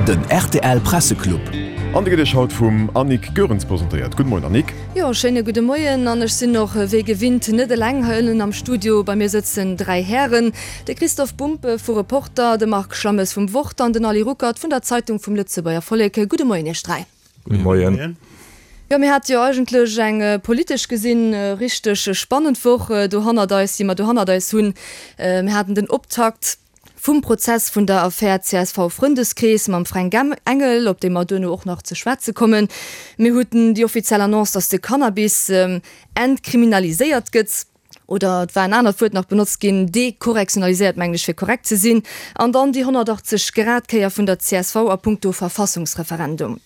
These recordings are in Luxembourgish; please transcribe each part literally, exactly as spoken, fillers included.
Den rtl Presseclub. An de gëtt Iech haut vum Annick Goerens presentéiert. Gudde Moien Annick. Jo, schéine gudde Moien. An ech sinn och wéi gewinnt net eleng hei ënnen am Studio. Bei mir sëtzen dräi Hären, de Christoph Bumpe vu Reporter, de Marc Schlammes vum Wort an den Ali Ruckert vun der Zeitung vum Lëtzebuerger Vollek. Gudde Moien Iech dräi. Gudde Moien. Jo, mir hate jo eigentlech eng politesch gesinn richteg spannend Woch do hannert eis, déi mer do hannert eis hunn. Mir haten den Optakt vum Prozess vun der Affär C S V-Frëndeskrees mam Fränk Engel, op dee mer duerno och nach ze schwätze kommen. Mir huten déi offiziell Annonce, datt de Cannabis entkriminaliséiert gëtt, oder et war en anert Wuert nach benotzt ginn, dekorrektionaliséiert, mengen ech, fir korrekt ze sinn. An dann déi honnertachtzeg Grad Kéier vun der C S V a puncto Verfassungsreferendum.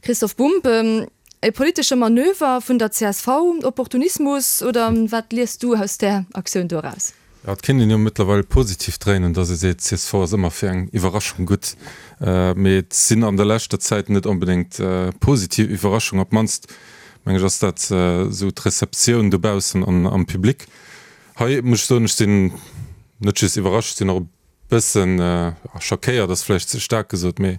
Christoph Bumb, e politesche Manöver vun der C S V, Opportunismus oder wat liest du aus där Aktioun do eraus? Ja, et kéint een jo mëttlerweil positiv dréinen, datt ee seet, C S V ass ëmmer fir eng Iwwerraschung gutt. Mee et sinn an der leschter Zäit net onbedéngt positiv Iwwerraschungen. Op d'mannst, meng ech, ass dat esou d'Receptioun dobaussen an am Public. Hei muss ech soen, ech sinn net just iwwerrascht, ech sinn och e bëssen schockéiert, ass vläicht ze staark gesot, mee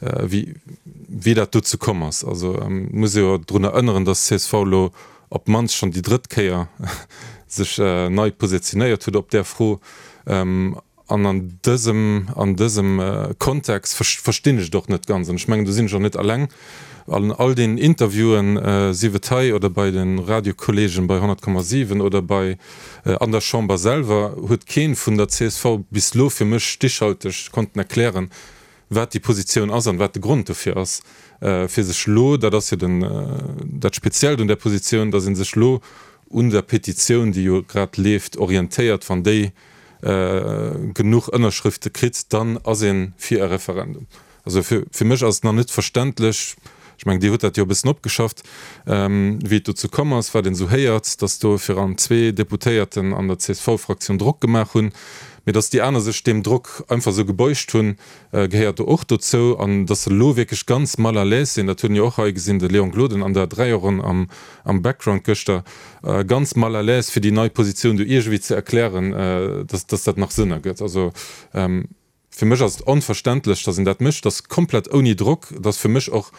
wéi wéi dat dozou komm ass. Also et muss ee jo drun erënneren, datt C S V elo op d'mannst schonn déi drëtt Kéier sech nei positionéiert huet op där Fro. An an dësem, an dësem Kontext verstinn ech et och net ganz. An ech mengen, do sinn ech och net alleng. An all den Interviewen, sief et hei oder bei de Radiokolleegen bei honnert Komma siwen oder bei an der Chamber selwer, huet kee vun der C S V bis elo fir mech stichhalteg konnten erklären, wat déi Positioun ass an wat de Grond dofir ass, fir sech elo, dat ass jo den, dat Speziellt un där Positioun, datt ee sech elo un der Petitioun, déi jo grad leeft, orientéiert, wann déi genuch Ënnerschrëfte kritt, dann ass ee fir e Referendum. Also fir, fir mech ass et nach net verständlech, ech mengen, Dir hutt dat jo e bëssen opgeschafft, wéi et dozou komm ass, wat een esou héiert, datt do virun allem zwee Deputéierten an der C S V-Fraktioun Drock gemaach hunn, mee datt déi aner sech deem Drock einfach esou gebeugt hunn, gehéiert do och dozou. An datt se elo wierklech ganz mal à l'aise sinn, dat huet een jo och hei gesinn, de Léon Gloden an der Dräierronn am, am Background gëschter, ganz mal à l'aise, fir déi nei Positioun do iergendwéi ze erklären, datt, datt dat nach Sënn ergëtt. Also fir mech ass et onverständlech, datt een dat mécht, datt komplett ouni Drock, et ass fir mech och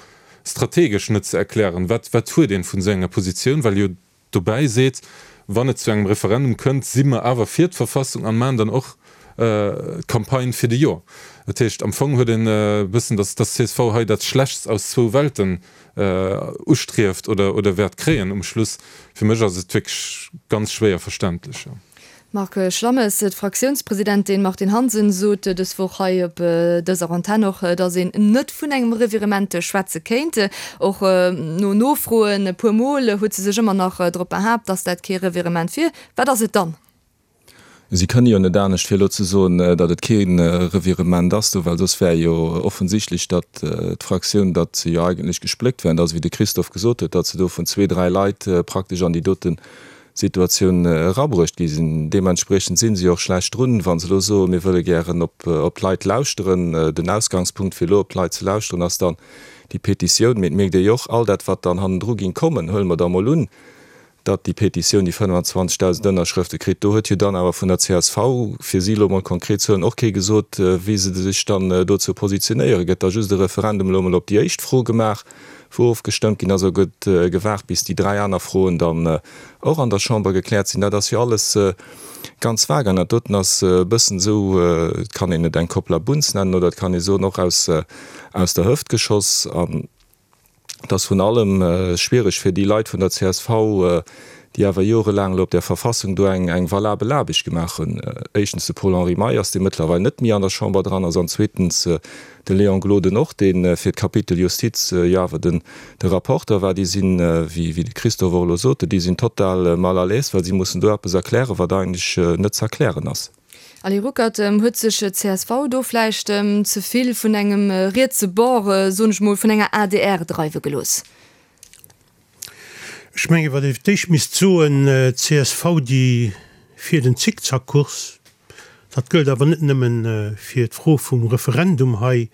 strategesch net ze erklären, wat, wat huet een vun esou enger Positioun, well jo dobäi seet, wann et zu engem Referendum kënnt, si mer awer fir d'Verfassung an maachen dann och d'Campagne fir de Jo. Dat heescht, am Fong huet een e bëssen, datt datt C S V hei dat Schlechtst aus zwou Welten ustrieft oder oder wäert kréien um Schluss. Fir mech ass et wierklech ganz schwéier verständlech. Marc Schlammes, D'Fraktiounspresidentin Martine Hansen sot dës Woch hei op dëser Antenn och, datt een net vun engem Revirement schwätze kéint. Och no Nofroen e puer Mol huet se sech ëmmer nach drop behaapt, datt dat kee Revirement wier. Wat ass et dann? Si kënne jo net anescht, fir elo ze soen, datt et kee Revirement ass do, well soss wär jo offensichtlech, datt d'Fraktioun, datt se jo eigentlech gespléckt wär, an datt, wéi de Christophe gesot huet, datt se do vun zwee, dräi Leit praktesch an déi dote Situatioun erabruecht gi sinn. Deementspriechend si se jo och schlecht drun, wa se elo soen, mir wëlle gären op d'Leit lauschteren. Den Ausgangspunkt, fir elo op d'Leit ze lauschteren, ass dann déi Petitioun. Mee et mierkt ee jo och, all dat, wat dann hannendru géing kommen, huele mer da mol un, datt déi Petitioun déi fënnfanzwanzegdausend Ënnerschrëfte kritt, do huet jo dann awer vun der C S V, fir si elo mol konkret ze huelen, och kee gesot, wéi se sech dann dozou positionéieren. Gëtt da just e Referendum elo mol op déi éischt Fro gemaach, wou ofgestëmmt ginn ass, oder gëtt gewaart, bis déi dräi aner Froen dann och an der Chamber gekläert sinn? Dat ass jo alles ganz vag an dat doten ass e bëssen esou, et kann een et eng Kopplabunz nennen oder et kann ee soen, och aus der Hëft geschoss. An et ass vrun allem schwiereg fir déi Leit vun der C S V, déi awer jorelaang elo op där Verfassung do eng eng valabel Aarbecht gemaach hunn. Éischtens de Paul-Henri Meyers, dee mëttlerweil net méi an der Chamber dran ass, an zweetens de Léon Gloden och, dee fir d'Kapitel Justiz jo awer den de Rapporteur war. Déi sinn, wéi wéi de Christophe och elo sot, déi sinn total mal à l'aise, well si mussen do eppes erklären, wat eigentlech net ze erklären ass. Ali Ruckert, Huet sech d'C S V do vläicht ze vill vun engem rietse Bord, soen ech mol, vun enger A D R dreiwe gelooss? Ech menge wat ee fir d'éischt misst soen, d'C S V déi fiert en Zickzackkurs. Dat gëllt awer net nëmmen fir d'Fro vum Referendum hei.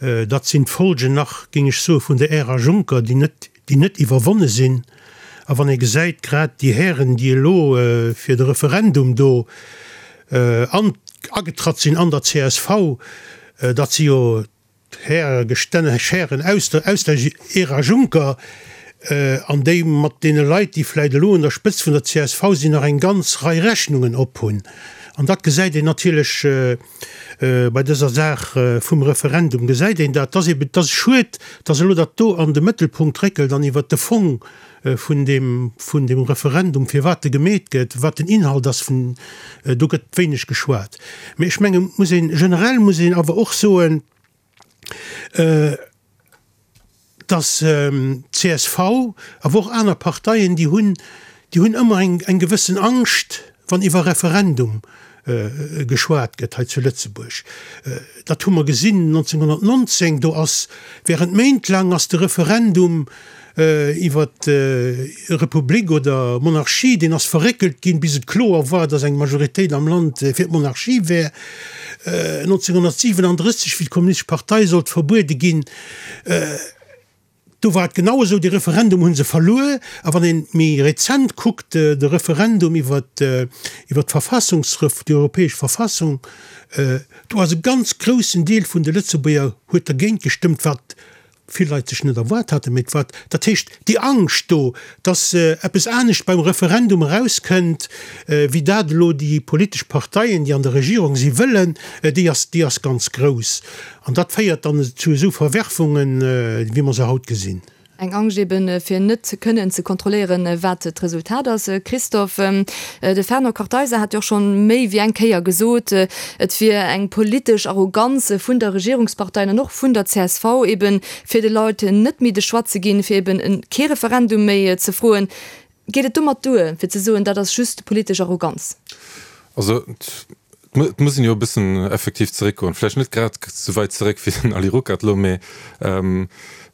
Dat sinn d'Folgen nach, géing ech soen, vun der Ära Juncker, déi net, déi net iwwerwonne sinn. A wann ee gesäit, grad déi Hären, déi elo fir de Referendum do an, agetratt sinn an der C S V, dat si jo Häregestänne, Schären aus der, aus der Ära Juncker, an déi mat deene Leit, déi vläicht elo un der Spëtzt vun der C S V sinn, nach eng ganz Rei Rechnungen ophunn. An dat gesäit een natierlech bei dëser Saach vum Referendum, gesäit een dat. Et ass eben, et ass schued, dass elo dat do an de Mëttelpunkt réckelt an iwwert de Fong vun deem, vun deem Referendum, firwat e gemeet gëtt, wat den Inhalt ass vun, do gëtt wéineg geschwat. Mee ech mengen, muss een, generell muss een awer och soen, dass C S V, awer och aner Parteien, déi hunn, déi hunn ëmmer eng, eng gewëssen Angscht, wann iwwer Referendum geschwat gëtt hei zu Lëtzebuerg. Dat hu mer gesinn neunzehnhundertneunzehn, do ass während Méint laang ass de Referendum iwwer Republik oder Monarchie, deen ass verréckelt ginn, bis et kloer war, dass eng Majoritéit am Land fir d'Monarchie wär. neunzehnhundertsiebenunddrësseg, wéi d'Kommunistesch Partei sollt verbuede ginn, do war et genau esou, dee Referendum hu se verluer. A wann ee méi rezent kuckt, de Referendum iwwer d'Verfassungsref-, déi europäesch Verfassung, do ass e ganz groussen Deel vun de Lëtzebuerger huet dergéint gestëmmt, wat vill Leit sech net erwaart haten, mee wat, dat heescht, déi Angscht do, dass eppes anescht beim Referendum erauskënnt, wéi dat elo déi politesch Parteien, déi an der Regierung si wëllen, déi ass, déi ass ganz grouss. An dat féiert dann zu esou Verwerfungen, wéi mer se haut gesinn. Eng Angscht eben, fir net kënnen ze kontrolléieren, wat d'Resultat ass. Christophe, de Fernand Kartheiser hat jo och schonn méi wéi eng Kéier gesot, et wier eng politesch Arroganz vun der Regierungsparteien an och vun der C S V eben, fir de Leit net méi de Choix ze ginn, fir eben kee Referendum méi ze froen. Geet et domat duer, fir ze soen, dat ass just politesch Arroganz? Also, et muss een jo e bëssen effektiv zeréckgoen, vläicht net grad esou wäit zeréck wéi den Ali Ruckert elo, mee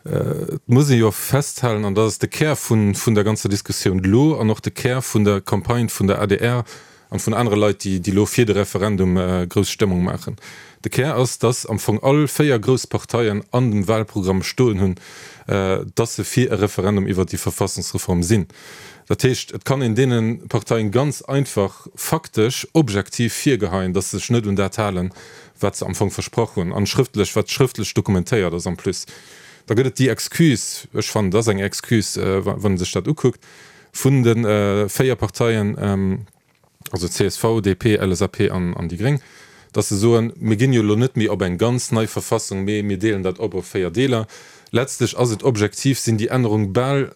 et muss ee jo festhalen, an dat ass de Kär vun der ganzer Diskussioun elo an och de Kär vun der Campagne vun der A D R an vun anere Leit, déi elo fir de Referendum grouss Stëmmung maachen, de Kär ass, dass am Fong all véier grouss Parteien an dem Wahlprogramm stoen hunn, dass se fir e Referendum iwwert déi Verfassungsreform sinn. Dat heescht, et kann een deene Parteien ganz einfach faktesch, objektiv virgeheien, dass se sech net un dat halen, wat se am Fong versprach hunn, an schrëftlech, wat schrëftlech dokumentéiert ass en plus. Da gëtt et déi Excuse, ech fannen, dat ass eng Excuse, wann ee sech dat ukuckt, vun de véier Parteien, also C S V, D P, L S A P an déi Gréng, dass se soen, mir ginn jo elo net méi op eng ganz nei Verfassung, mee mir deelen dat op op véier Deeler. Letztlech ass et objektiv, sinn déi Ännerung bal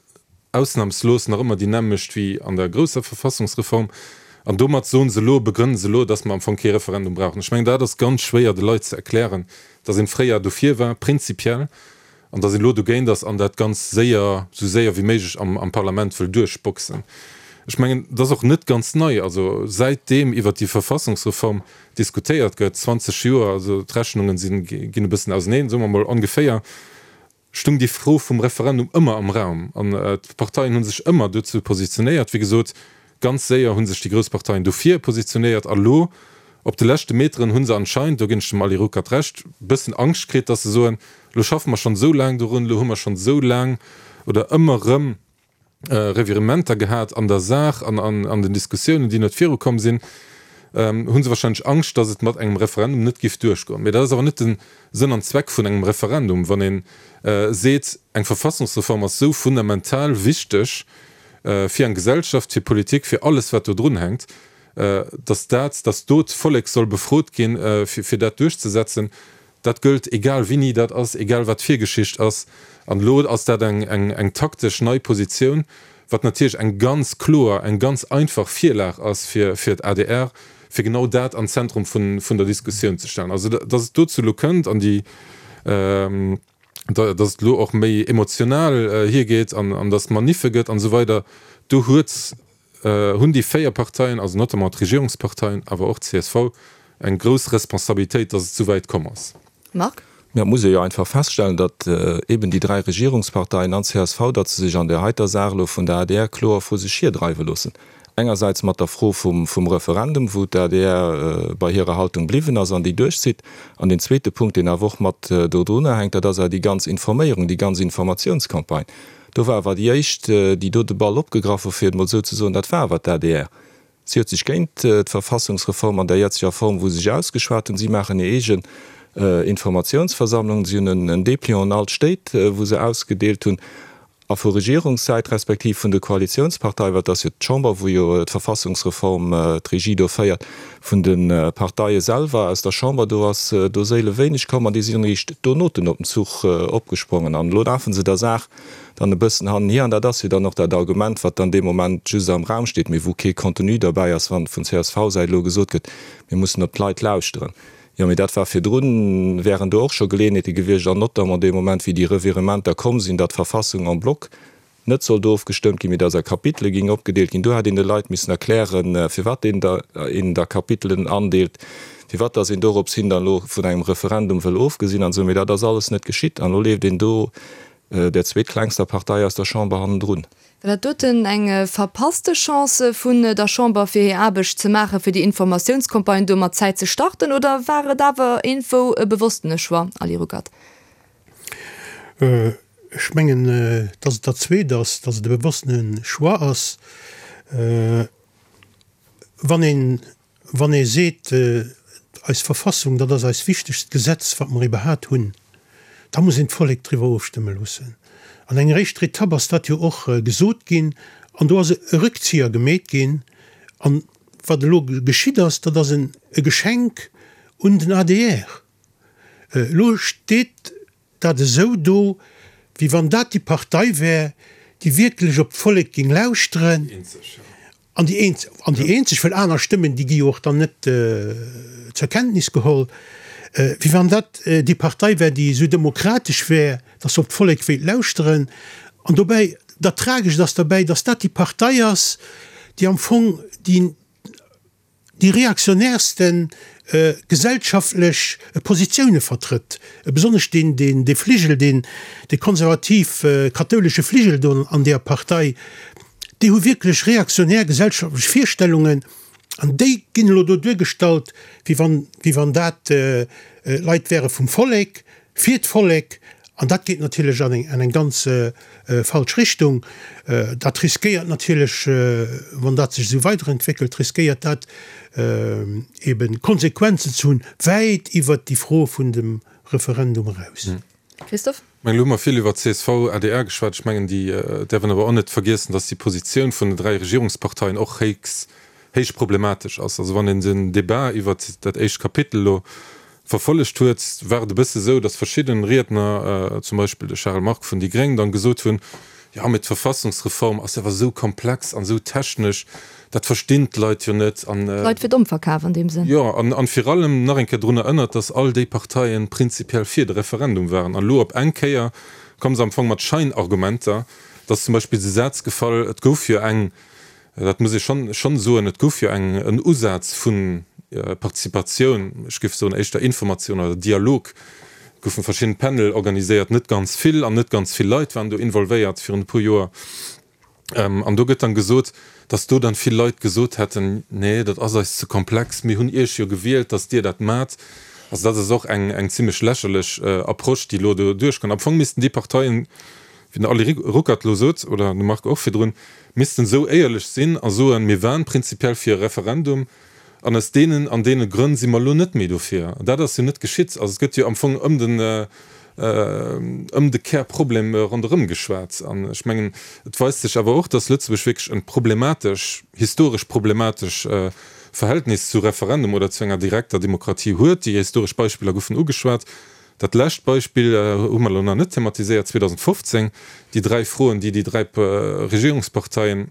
ausnamslos nach ëmmer déi nämmlecht wéi an der grousser Verfassungsreform. An domat soen se elo, begrënnen se elo, dass mer am Fong kee Referendum brauchen. Ech mengen, dat ass ganz schwéier de Leit ze erklären, dass een fréier dofir war, prinzipiell, an dass een elo dogéint ass an dat ganz séier, esou séier wéi méiglech am am Parlament wëll duerchboxen. Ech mengen, dat ass och net ganz nei. Also säitdeem iwwert déi Verfassungsreform diskutéiert gëtt, zwanzeg Joer, also d'Rechnungen sinn, ginn e bëssen auseneen, soe mer mol ongeféier, stung déi Fro vum Referendum ëmmer am Raum an d'Parteien hu sech ëmmer dozou positionéiert. Wéi gesot, ganz séier hu sech déi grouss Parteien dofir positionéiert a lo op de leschte Meteren hu se anscheinend, do ginn ech dem Ali Ruckert Recht, e bëssen Angscht kritt, datt se soen, lo schaffe mer schonn esou laang dorun, lo hu mer schonn esou laang oder ëmmer erëm Revirementer gehat an der Saach an an den Diskussiounen, déi net virukomm sinn, hu se wahrscheinlech Angscht, datt et mat engem Referendum net giff duerchgoen. Mee dat ass awer net de Sënn an Zweck vun engem Referendum. Wann ee seet, eng Verfassungsreform ass esou fundamental wichteg fir eng Gesellschaft, fir Politik, fir alles wat do drun hänkt, datt dat, datt do d'Vollek soll befrot ginn, fir dat duerchzesetzen, dat gëllt egal wéini dat ass, egal wat d'Virgeschicht ass. An elo ass dat eng eng taktesch nei Positioun, wat natierlech eng ganz kloer, eng ganz einfach Virlag ass fir fir d'A D R, fir genau dat an d'Zentrum vun vun der Diskussioun ze stellen. Also datt et dozou elo kënnt an déi, datt et elo och méi emotional hiergeet an an datt et Maniffe gëtt an esou weider, do huet, hunn déi véier Parteien, also notamment d'Regierungsparteien, awer och d'C S V, eng grouss Responsabilitéit, datt et esou wäit komm ass. Marc? Mä et muss ee jo einfach feststellen, datt eben déi dräi Regierungsparteien an d'C S V, datt se sech an där heiter Saach elo vun der A D R kloer vru sech hirdreiwe loossen. Engersäits mat der Fro vum Referendum, wou d'A D R bei hirer Haltung bliwwen ass an déi duerchzitt. An deen zweete Punkt, deen awer och mat dodrunner hänkt, dat ass awer déi ganz Informéierung, déi ganz Informatiounscampagne. Do war awer déi éischt, déi do de Ball opgegraff hu, fir et emol esou ze soen, dat war awer d'A D R. Si huet sech géint d'Verfassungsreform an der jetzeger Form, wou se sech ausgeschwat hunn. Si maachen hir eege Informatiounsversammlungen. Si hunn en Dépliant an all d'Stéit, wou se ausgedeelt hunn. A vu Regierungssäit respektiv vun de Koalitiounsparteien, well et ass jo d'Chamber, wou jo d'Verfassungsreform d'Regie do féiert, vun de Parteie selwer aus der Chamber, do ass do séile wéineg komm an déi sinn eréischt donoten op den Zuch opgesprongen. An elo lafe se der Saach dann e bëssen hannenhier. An dat ass jo dann och dat Argument, wat dann dee Moment just am Raum steet, mee wou kee Contenu derbäi ass, wann vun C S V-Säit elo gesot gëtt, mir mussen op d'Leit lauschteren. Jo, mee dat war virdrun, wären do och scho Geleeënheete gewiescht, an notamment dee Moment, wéi déi Revirementer komm sinn, datt d'Verfassung en bloc net sollt ofgestëmmt ginn, mee datt a Kapitele géing opgedeelt ginn. Do hätt een de Leit missen erklären, firwat een da een da Kapitelen andeelt, firwat datt een dorops hin dann elo vun engem Referendum wëll ofgesinn an esou. Mee dat ass alles net geschitt an elo leeft een do der zweetklengster Partei aus der Chamber hannendrun. War dat doten eng verpasste Chance vun der Chamber, fir hir Aarbecht ze maachen, fir déi Informatiounscampagne do mat Zäit ze starten, oder war et awer iergendwou e bewosstene Choix, Ali Ruckert? Ech mengen, dass et dat Zweet ass, dass et e bewosstene Choix ass. Wann een, wann ee seet, eis Verfassung, dat ass eist wichtegst Gesetz, wat mer iwwerhaat hunn, da muss een d'Vollek driwwer ofstëmme loossen. An enger éischter Etapp ass dat jo och gesot ginn an do ass e Rëckzieher gemeet ginn. An wat elo geschitt ass, dat ass e Geschenk un den A D R. Elo steet dat esou do, wéi wann dat déi Partei wär, déi wierklech op d'Vollek géing lauschteren. An déi eenzeg, an déi eenzeg, well aner Stëmmen, déi gi jo och dann net zur Kenntnis geholl, wéi wann dat déi Partei wär, déi esou demokratesch wär, datt se op d'Vollek wéilt lauschteren. An dobäi, dat Tragescht ass derbäi, datt dat déi Partei ass, déi am Fong déi, déi reaktionärsten gesellschaftlech Positioune vertrëtt, besonnesch deen, deen, dee Fligel, deen, dee konservativ kathoulesche Fligel do an deeër Partei, déi hu wierklech reaktionär gesellschaftlech Virstellungen an déi ginn elo do duergestallt, wéi wann, wéi wann dat Leit wäre vum Vollek, fir d'Vollek. An dat geet natierlech an eng, an eng ganz falsch Richtung. Dat riskéiert natierlech, wann dat sech esou weiderentwéckelt, riskéiert dat eeben Konsequenzen ze hunn, wäit iwwert déi Fro vun dem Referendum eraus. Christophe? Ech mengen, elo hu mer vill iwwer C S V, A D R geschwat. Ech mengen, déi däerf een awer och net vergiessen, dass déi Positioun vun den dräi Regierungsparteien och héchst, héich problematesch ass. Also wann een den Débat iwwert dat éischt Kapitel elo verfollegt huet, war et e bësse sou, datt verschidden Riedner, zum Beispill de Charel Margue vun déi Gréng, dann gesot hunn, jo mee d'Verfassungsreform ass awer esou komplex an esou technesch, dat verstinn d'Leit jo net an. D'Leit fir domm verkaf an deem Sënn. Jo, an an vir allem nach eng Kéier drun erënnert, datt all déi Parteien prinzipiell fir de Referendum waren. An elo op eng Kéier komme se am Fong mat Scheinargumenter, et ass zum Beispill de Saz gefall, et gouf jo eng, dat muss ee schonn schonn soen, et gouf jo eng en Usaz vu Participatioun, ech géif soen éischter Informatioun oder Dialog, et goufe verschidden Panel organiséiert, net ganz vill an net ganz vill Leit waren do involvéiert virun e puer Joer. An do gëtt dann gesot, dass do dann vill Leit gesot hätten, nee, dat ass eis ze komplex, mir hunn Iech jo gewielt, dass Dir dat maacht. Also dat ass och eng eng zimlech lächerlech Approche, déi elo do duerchkënnt. Am Fong missten déi Parteien, wéi den Ali Ruckert elo sot, oder de Marc och virdrun, missten esou éierlech sinn a soen, mir waren prinzipiell fir e Referendum an aus deenen an deene Grënn si mer elo net méi dofir. An dat ass jo net geschitt. Also et gëtt jo am Fong ëm den, ëm de Kärproblem ronderëm geschwat. An ech mengen, et weist sech awer och, dass Lëtzebuerg wierklech e problematesch, historesch problematesch Verhältnis zu Referendum oder zu enger direkter Demokratie huet. Déi historesch Beispiller goufen ugeschwat. Dat lescht Beispill hu mer elo nach net thematiséiert, zweedausendfofzéng, déi dräi Froen, déi déi dräi Regierungsparteien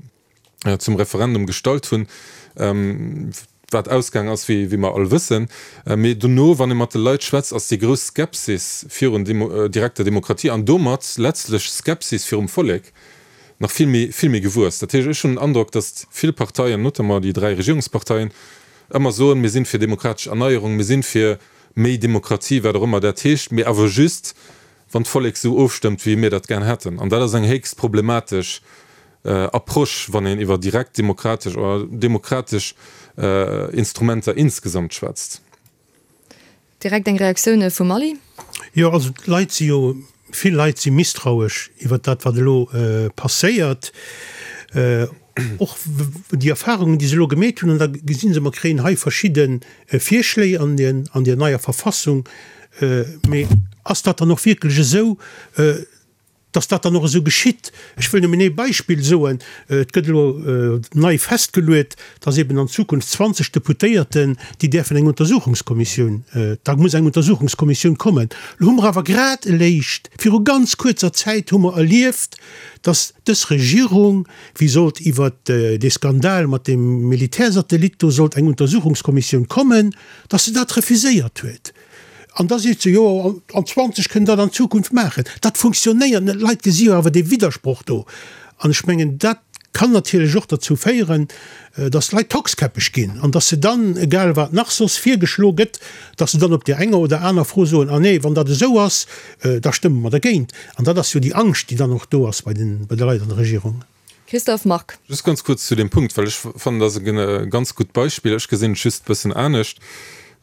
zum Referendum gestallt hunn, wat ausgaang ass, wéi mer all wëssen. Mee dono, wann ee mat de Leit schwätzt, ass déi grouss Skepsis virun direkter Demokratie an domat letztlech Skepsis virum Vollek nach vill méi, vill méi gewuess. Dat heescht, ech hunn den Androck, datt vill Parteien, notamment déi dräi Regierungsparteien, ëmmer soen, mir sinn fir demokratesch Erneierung, mir sinn fir méi Demokratie, wat och ëmmer dat heescht, mee awer just, wann d'Vollek esou ofstëmmt, wéi mir dat gär hätten. An dat ass eng héchst problematesch Approche, wann een iwwer direkt demokratesch oder demokratesch Instrumenter insgesamt schwätzt. Direkt eng Reaktioun vum Aly. Jo, also d'Leit si jo, vill Leit si misstrauesch iwwert dat, wat elo passéiert. Och déi Erfahrungen, déi se elo gemeet hunn, an da gesi se, mer kréien hei verschidde Virschléi an der neier Verfassung, Mee ass dat dann och wierklech esou, dass dat dann och esou geschitt? Ech wëll nëmmen ee Beispill soen, Et gëtt elo nei festgeluet, dass eben an Zukunft zwanzeg Deputéierten, déi däerfen eng Untersuchungskommissioun, da muss eng Untersuchungskommissioun kommen. Elo hu mer awer grad eléischt viru ganz kuerzer Zäit hu mer erlieft, dass dës Regierung, wéi sollt iwwert dee Skandal mat deem Militärsatellit do sollt eng Untersuchungskommissioun kommen, dass se dat refuséiert huet. An da seet se, jo, an zwanzeg kënnen dat an Zukunft maachen. Dat funktionéiert net. D'Leit gesi jo awer dee Widdersproch do. An ech mengen, dat kann natierlech och derzou féieren, dass d'Leit tockskäppeg ginn an dass se dann, egal wat nach soss virgeschlo gëtt, dass se dann op där enger oder aner Fro soen, ah nee, wann dat esou ass, da stëmme mer dergéint. An dat ass jo déi Angscht, déi dann och do ass bei de Leit an der Regierung. Christophe Margue. Just ganz kuerz zu deem Punkt, well ech fannen, dat ass e ganz gutt Beispill. Ech gesinn et just e bëssen anescht.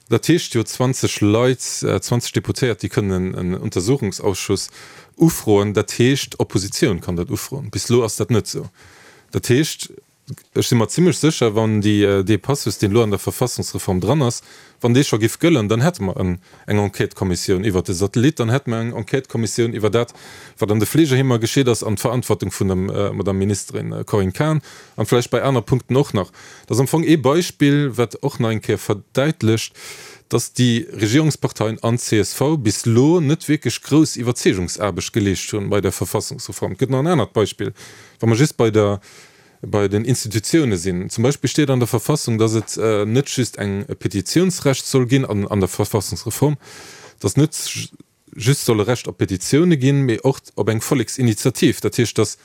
Dat heescht jo zwanzeg Leit, zwanzeg Deputéiert, déi kënnen en Untersuchungsausschuss ufroen. Dat heescht, d'Oppositioun kann dat ufroen. Bis elo ass dat net esou. Dat heescht, ech si mer zimlech sécher, wann déi, dee Passus, deen elo an der Verfassungsreform dran ass, wann dee scho géif gëllen, dann hätte mer en, eng Enquêtëkommissioun iwwert de Satellit, dann hätte mer eng Enquêtëkommissioun iwwer dat, wat an de Fleegeheemer geschitt ass, an d'Verantwortung vun der Madame Ministerin Corinne Cahen an vläicht bei aner Punkten och nach. Dat ass am Fong ee Beispill, wat och nach eng Kéier verdäitlecht, dass déi Regierungsparteien an d'CSV bis elo net wierklech grouss Iwwerzeegungsaarbecht geleescht hunn bei der Verfassungsreform. Et gëtt nach en anert Beispill, wa mer just bei der, bei den Institutioune sinn. Zum Beispill steet an der Verfassung, dass et net just eng e Petitiounsrecht soll ginn, an an der Verfassungsreform, dass net just soll e Recht op Petitioune ginn, mee och op eng Volleksinitiativ. Dat heescht, dass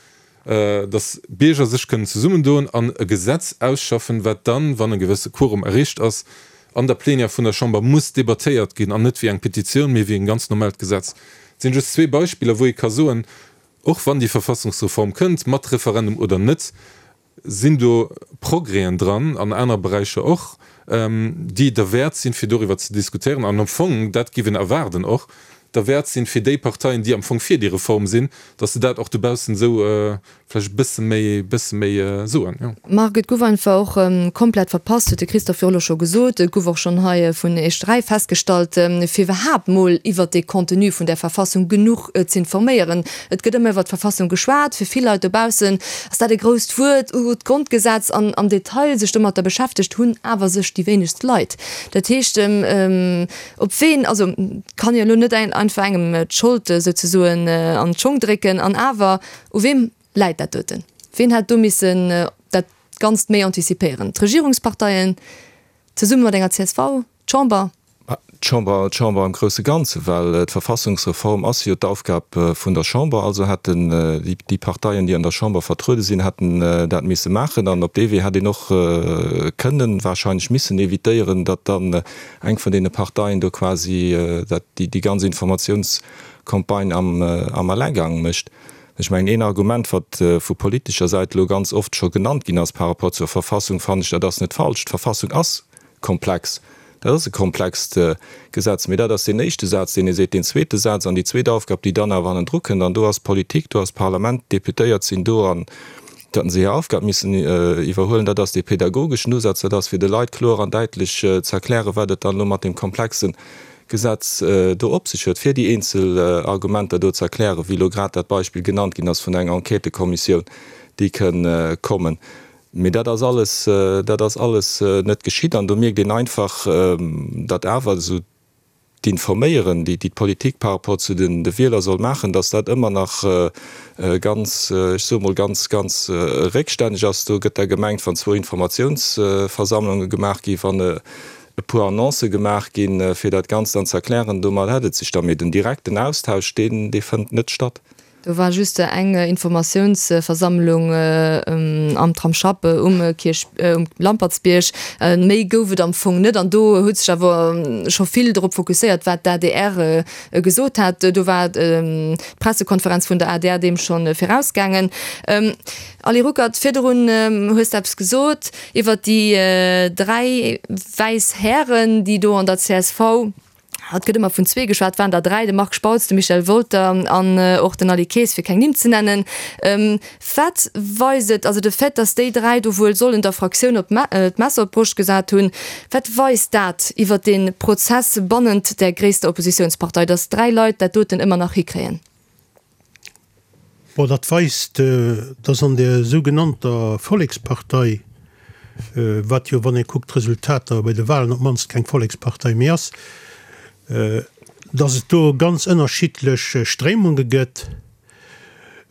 dass Bierger sech kënnen zesummendoen an e Gesetz ausschaffen, wat dann, wann e gewësse Quorum erreecht ass, an der Plenière vun der Chamber muss debattéiert ginn, an net wéi eng Petitioun, mee wéi en ganz normaalt Gesetz. Dat sinn just zwee Beispiller, wou ee ka soen, och wann déi Verfassungsreform kënnt, mat Referendum oder net, sinn do Progrèsen dran, an aner Beräicher och, déi derwäert sinn, fir doriwwer ze diskutéieren. An am Fong, dat géif een erwaarden och, derwäert sinn, fir déi Parteien, déi am Fong fir déi Reform sinn, datt se dat och dobaussen esou vläicht e bësse méi, bësse méi soen, jo. Marc, et gouf einfach och komplett verpasst, huet de Christophe jo elo scho gesot, et gouf och schonn hei vun Iech dräi festgestallt, fir iwwerhaapt mol iwwert dee Contenu vun där Verfassung genuch z'informéieren. Et gëtt ëmmer iwwert d'Verfassung geschwat, fir vill Leit dobaussen ass dat e grousst Wuert, uh, d'Grondgesetz, an am Detail sech domatter beschäftegt hunn awer sech déi wéinegst Leit. Dat heescht, op ween, also kann jo elo net einfach engem d'Schold souzesoen an d'Schong drécken, an awer, u weem läit dat doten? Ween hätt do missen dat Ganzt méi antizipéieren? D'Regierungsparteien zesumme mat enger csv? D'Chamber? D'Chamber, d'Chamber am grousse Ganze, well d'Verfassungsreform ass jo d'Aufgab vun der Chamber. Also hätten déi Parteien, déi an der Chamber vertruede sinn, hätten dat misse maachen. An op dee Wee hätt een och kënnen, wahrscheinlech missen évitéieren, datt dann eng vun deene Parteien do quasi dat, déi ganz Informatiounscampagne am, am Alleingang mécht. Ech mengen, een Argument, wat vu politescher Säit elo ganz oft scho genannt ginn ass par rapport zur Verfassung, fannen ech, dat ass net falsch. D'Verfassung ass komplex. Dat ass e komplext Gesetz. Mee dat ass deen éischte Saz, deen ee seet. Deen zweete Saz an déi zweet Aufgab, déi dann awer hannendru kënnt, an do ass d'Politik, do ass d'Parlament, d'Deputéiert sinn do an datt se hir Aufgab missen iwwerhuelen, dat ass dee pedagogeschen Usaz, dat ass fir de Leit kloer an däitlech ze erklären, wat et dann elo mat deem komplexen Gesetz do op sech huet, fir déi eenzel Argumenter do ze erklären, wéi elo grad dat Beispill genannt ginn ass vun enger Enquêtëkommissioun, déi kënn kommen. Mee dat ass alles, dat ass alles net geschitt. An do mierkt een einfach, datt awer esou d'Informéieren, déi d'Politik par rapport zu de Wieler soll maachen, datt dat ëmmer nach ganz, ech soe mol, ganz, ganz réckstänneg ass. Do gëtt da gemengt, wann zwou Informatiounsversammlunge gemaach ginn, wann e puer Annoncë gemaach ginn, fir dat Ganzt dann ze erklären, domat hätt et sech da. Mee den direkten Austausch, deen, dee fënnt net statt. Do war just eng Informatiounsversammlung am Tramsschapp um Kierch, um Lampertsbierg. Méi gouf et am Fong net. An do huet sech awer scho vill drop fokusséiert, wat d'ADR gesot hat. Do war d'Pressekonferenz vun der adr deem scho virausgaangen. Ali Ruckert, virdrun hues de eppes gesot iwwert déi dräi wäiss Hären, déi do an der csv Et gëtt ëmmer vun zwee geschwat, waren der dräi, de Marc Spautz, de Michel Wolter an och den Aly Kaes, fir keng Nimm ze nennen. Wat weist et, also de Fait, datt déi dräi do wuel sollen der Fraktioun op d'Messer op d'Broscht gesat hunn, wat weist dat iwwert dee Prozess bannent där gréisster Oppositiounspartei, datt dräi Leit dat doten ëmmer nach hikréien? Bon, dat weist, datt an där sougenannter Vollekspartei, wat jo, wann ee kuckt d'Resultater bei de Wahlen, op d'mannst keng Vollekspartei méi ass, datt et do ganz ënnerschiddlech Stréimunge gëtt,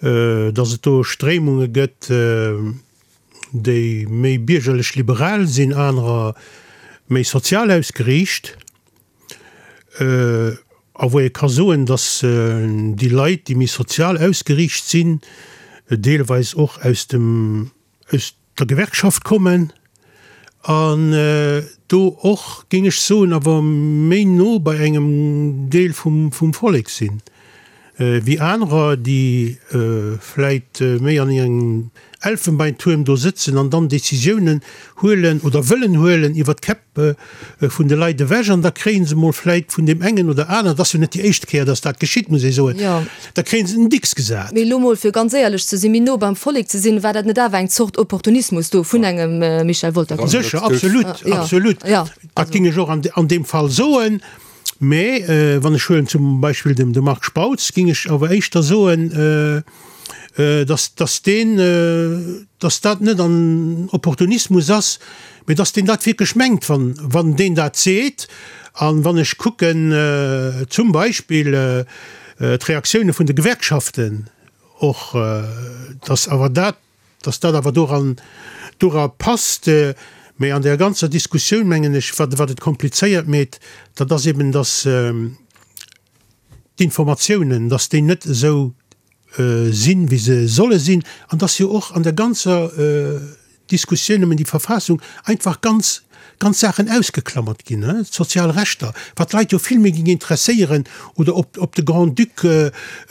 datt et do Stréimunge gëtt, déi méi biergerlech-liberal sinn, anerer méi sozial ausgeriicht. A wou ee ka soen, datt déi Leit, déi méi sozial ausgeriicht sinn, deelweis och aus dem, aus der Gewerkschaft kommen an do och, géing ech soen, awer méi no bei engem Deel vum, vum Vollek sinn, wéi anerer, déi vläit méi an engem Elfenbeintuerm do sëtzen an dann Décisiounen huelen oder wëllen huelen iwwer d'Käpp vun de Leit ewech an da kréie se mol vläit vun deem engen oder aneren, et ass jo net déi éischt Kéier, dass dat geschitt, muss ee soen, da kréie se en Dicks gesat. Mee elo mol, fir ganz éierlech ze sinn, méi no beim Vollek ze sinn, war dat net awer eng Zort Opportunismus do vun engem Michel Wolter? Sécher, absolut, absolut. Dat géing ech och an deem Fall soen. Mee wann ech huelen zum Beispill de Marc Spautz, géing ech awer éischter soen, dass, dass deen, dass dat net an Opportunismus ass, mee dass deen dat wierklech mengt, wann, wann deen dat seet. An wann ech kucken zum Beispill d'Reaktioune vun de Gewerkschaften och, dass awer dat, dass dat awer doran, dora passt. Mee an där ganzer Diskussioun, mengen ech, wat, wat et komplizéiert meet, dat ass eben, dass d'Informatiounen, dass déi net esou sinn, wéi se solle sinn, an dass jo och an der ganzer Diskussioun ëm déi Verfassung einfach ganz, ganz Saachen ausgeklammert ginn, d'sozial Rechter, wat d'Leit jo vill méi géing interesséieren, oder ob, ob de Grand-Duc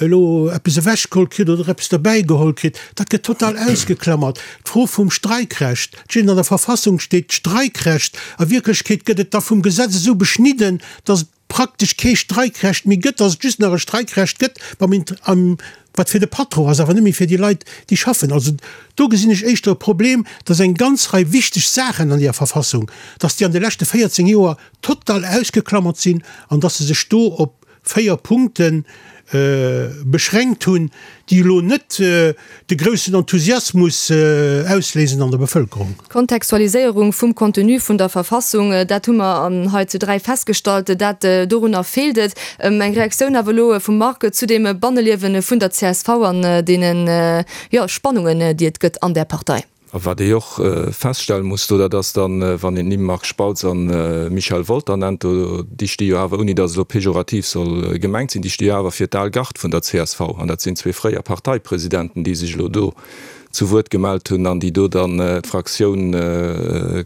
elo eppes ewechgeholl kritt oder eppes derbäigeholl kritt, dat gëtt total ausgeklammert. D'Fro vum Streikrecht, et steet an der Verfassung steet d'Streikrecht, a Wierklechkeet gëtt et da vum Gesetz esou beschnidden, dass et praktesch kee Streikrecht méi gëtt, dass et just nach e Streikrecht gëtt, beim Int-, am, wat fir de Patron ass, awer net méi fir déi Leit, déi schaffen. Also do gesinn ech éischter e Problem, dass eng ganz Rei wichteg Saachen an deeër Verfassung, dass déi an de leschte véierzéng Joer total ausgeklammert sinn an dass se sech do op véier Punkte beschränkt hunn, déi elo net de groussen Enthusiasmus ausléisen an der Bevëlkerung. D'Kontextualiséierung vum Contenu vun der Verfassung, dat hu mer hei zu dräi festgestallt, dat dorunner feelt et. Eng Reaktioun awer elo vum Marc zu deem Banneliewe vun der C S V an deenen, jo, Spannungen, déi et gëtt an där Partei. A wat ee och feststelle muss do, dat ass dann, wann een d'Nimm Marc Spautz a Michel Wolter nennt, do, déi sti jo awer, ouni datt et elo pejorativ soll gemengt sinn, déi sti jo awer fir d'al Garde vun der C S V. An dat sinn zwee fréier Parteipresidenten, déi sech elo do zu Wuert gemellt hunn an déi do dann d'Fraktioun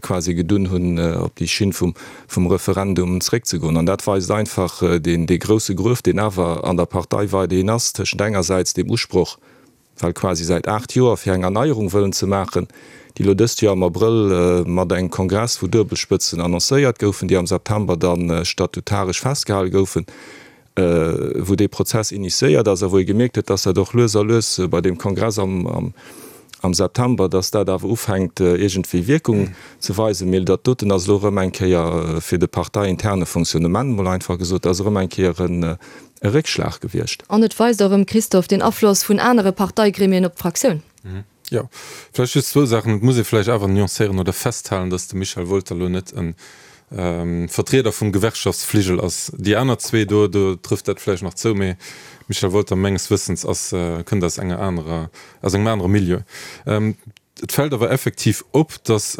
quasi gedunn hunn, op déi Schinn vum, vum Referendum zréckzegoen. An dat weist einfach deen, dee grousse Gruef, deen awer an der Partei weiderhin ass, tëschent engersäits dem Usproch, well quasi säit aacht Joer fir eng Erneierung wëllen ze maachen, déi elo dëst Joer am Abrëll mat engem Kongress, wou Duebelspëtzen annoncéiert goufen, déi am September dann statutaresch festgehale goufen, wou dee Prozess initiéiert ass a wou ee gemierkt huet, dass dat och lues a lues bei deem Kongress am, am, am September, dass dat awer ufänkt, iergendwéi Wierkung ze weisen. Mee dat doten ass elo erëm eng Kéier fir de parteiinterne Fonctionnement, mol einfach gesot, ass erëm eng Kéier en e Réckschlag gewiescht. An et weist och erëm, Christophe, den Afloss vun anere Parteigremien op d'Fraktioun. Jo, vläicht just zwou Saachen. Et muss ee vläicht awer nuancéieren oder festhalen, datt de Michel Wolter elo net e Vertrieder vum Gewerkschaftsfligel ass. Déi aner zwee do, do trëfft dat vläicht nach zou, mee Michel Wolter menges Wëssens ass, kënnt aus enger anerer, aus engem anere Milieu. Et fält awer effektiv op, datt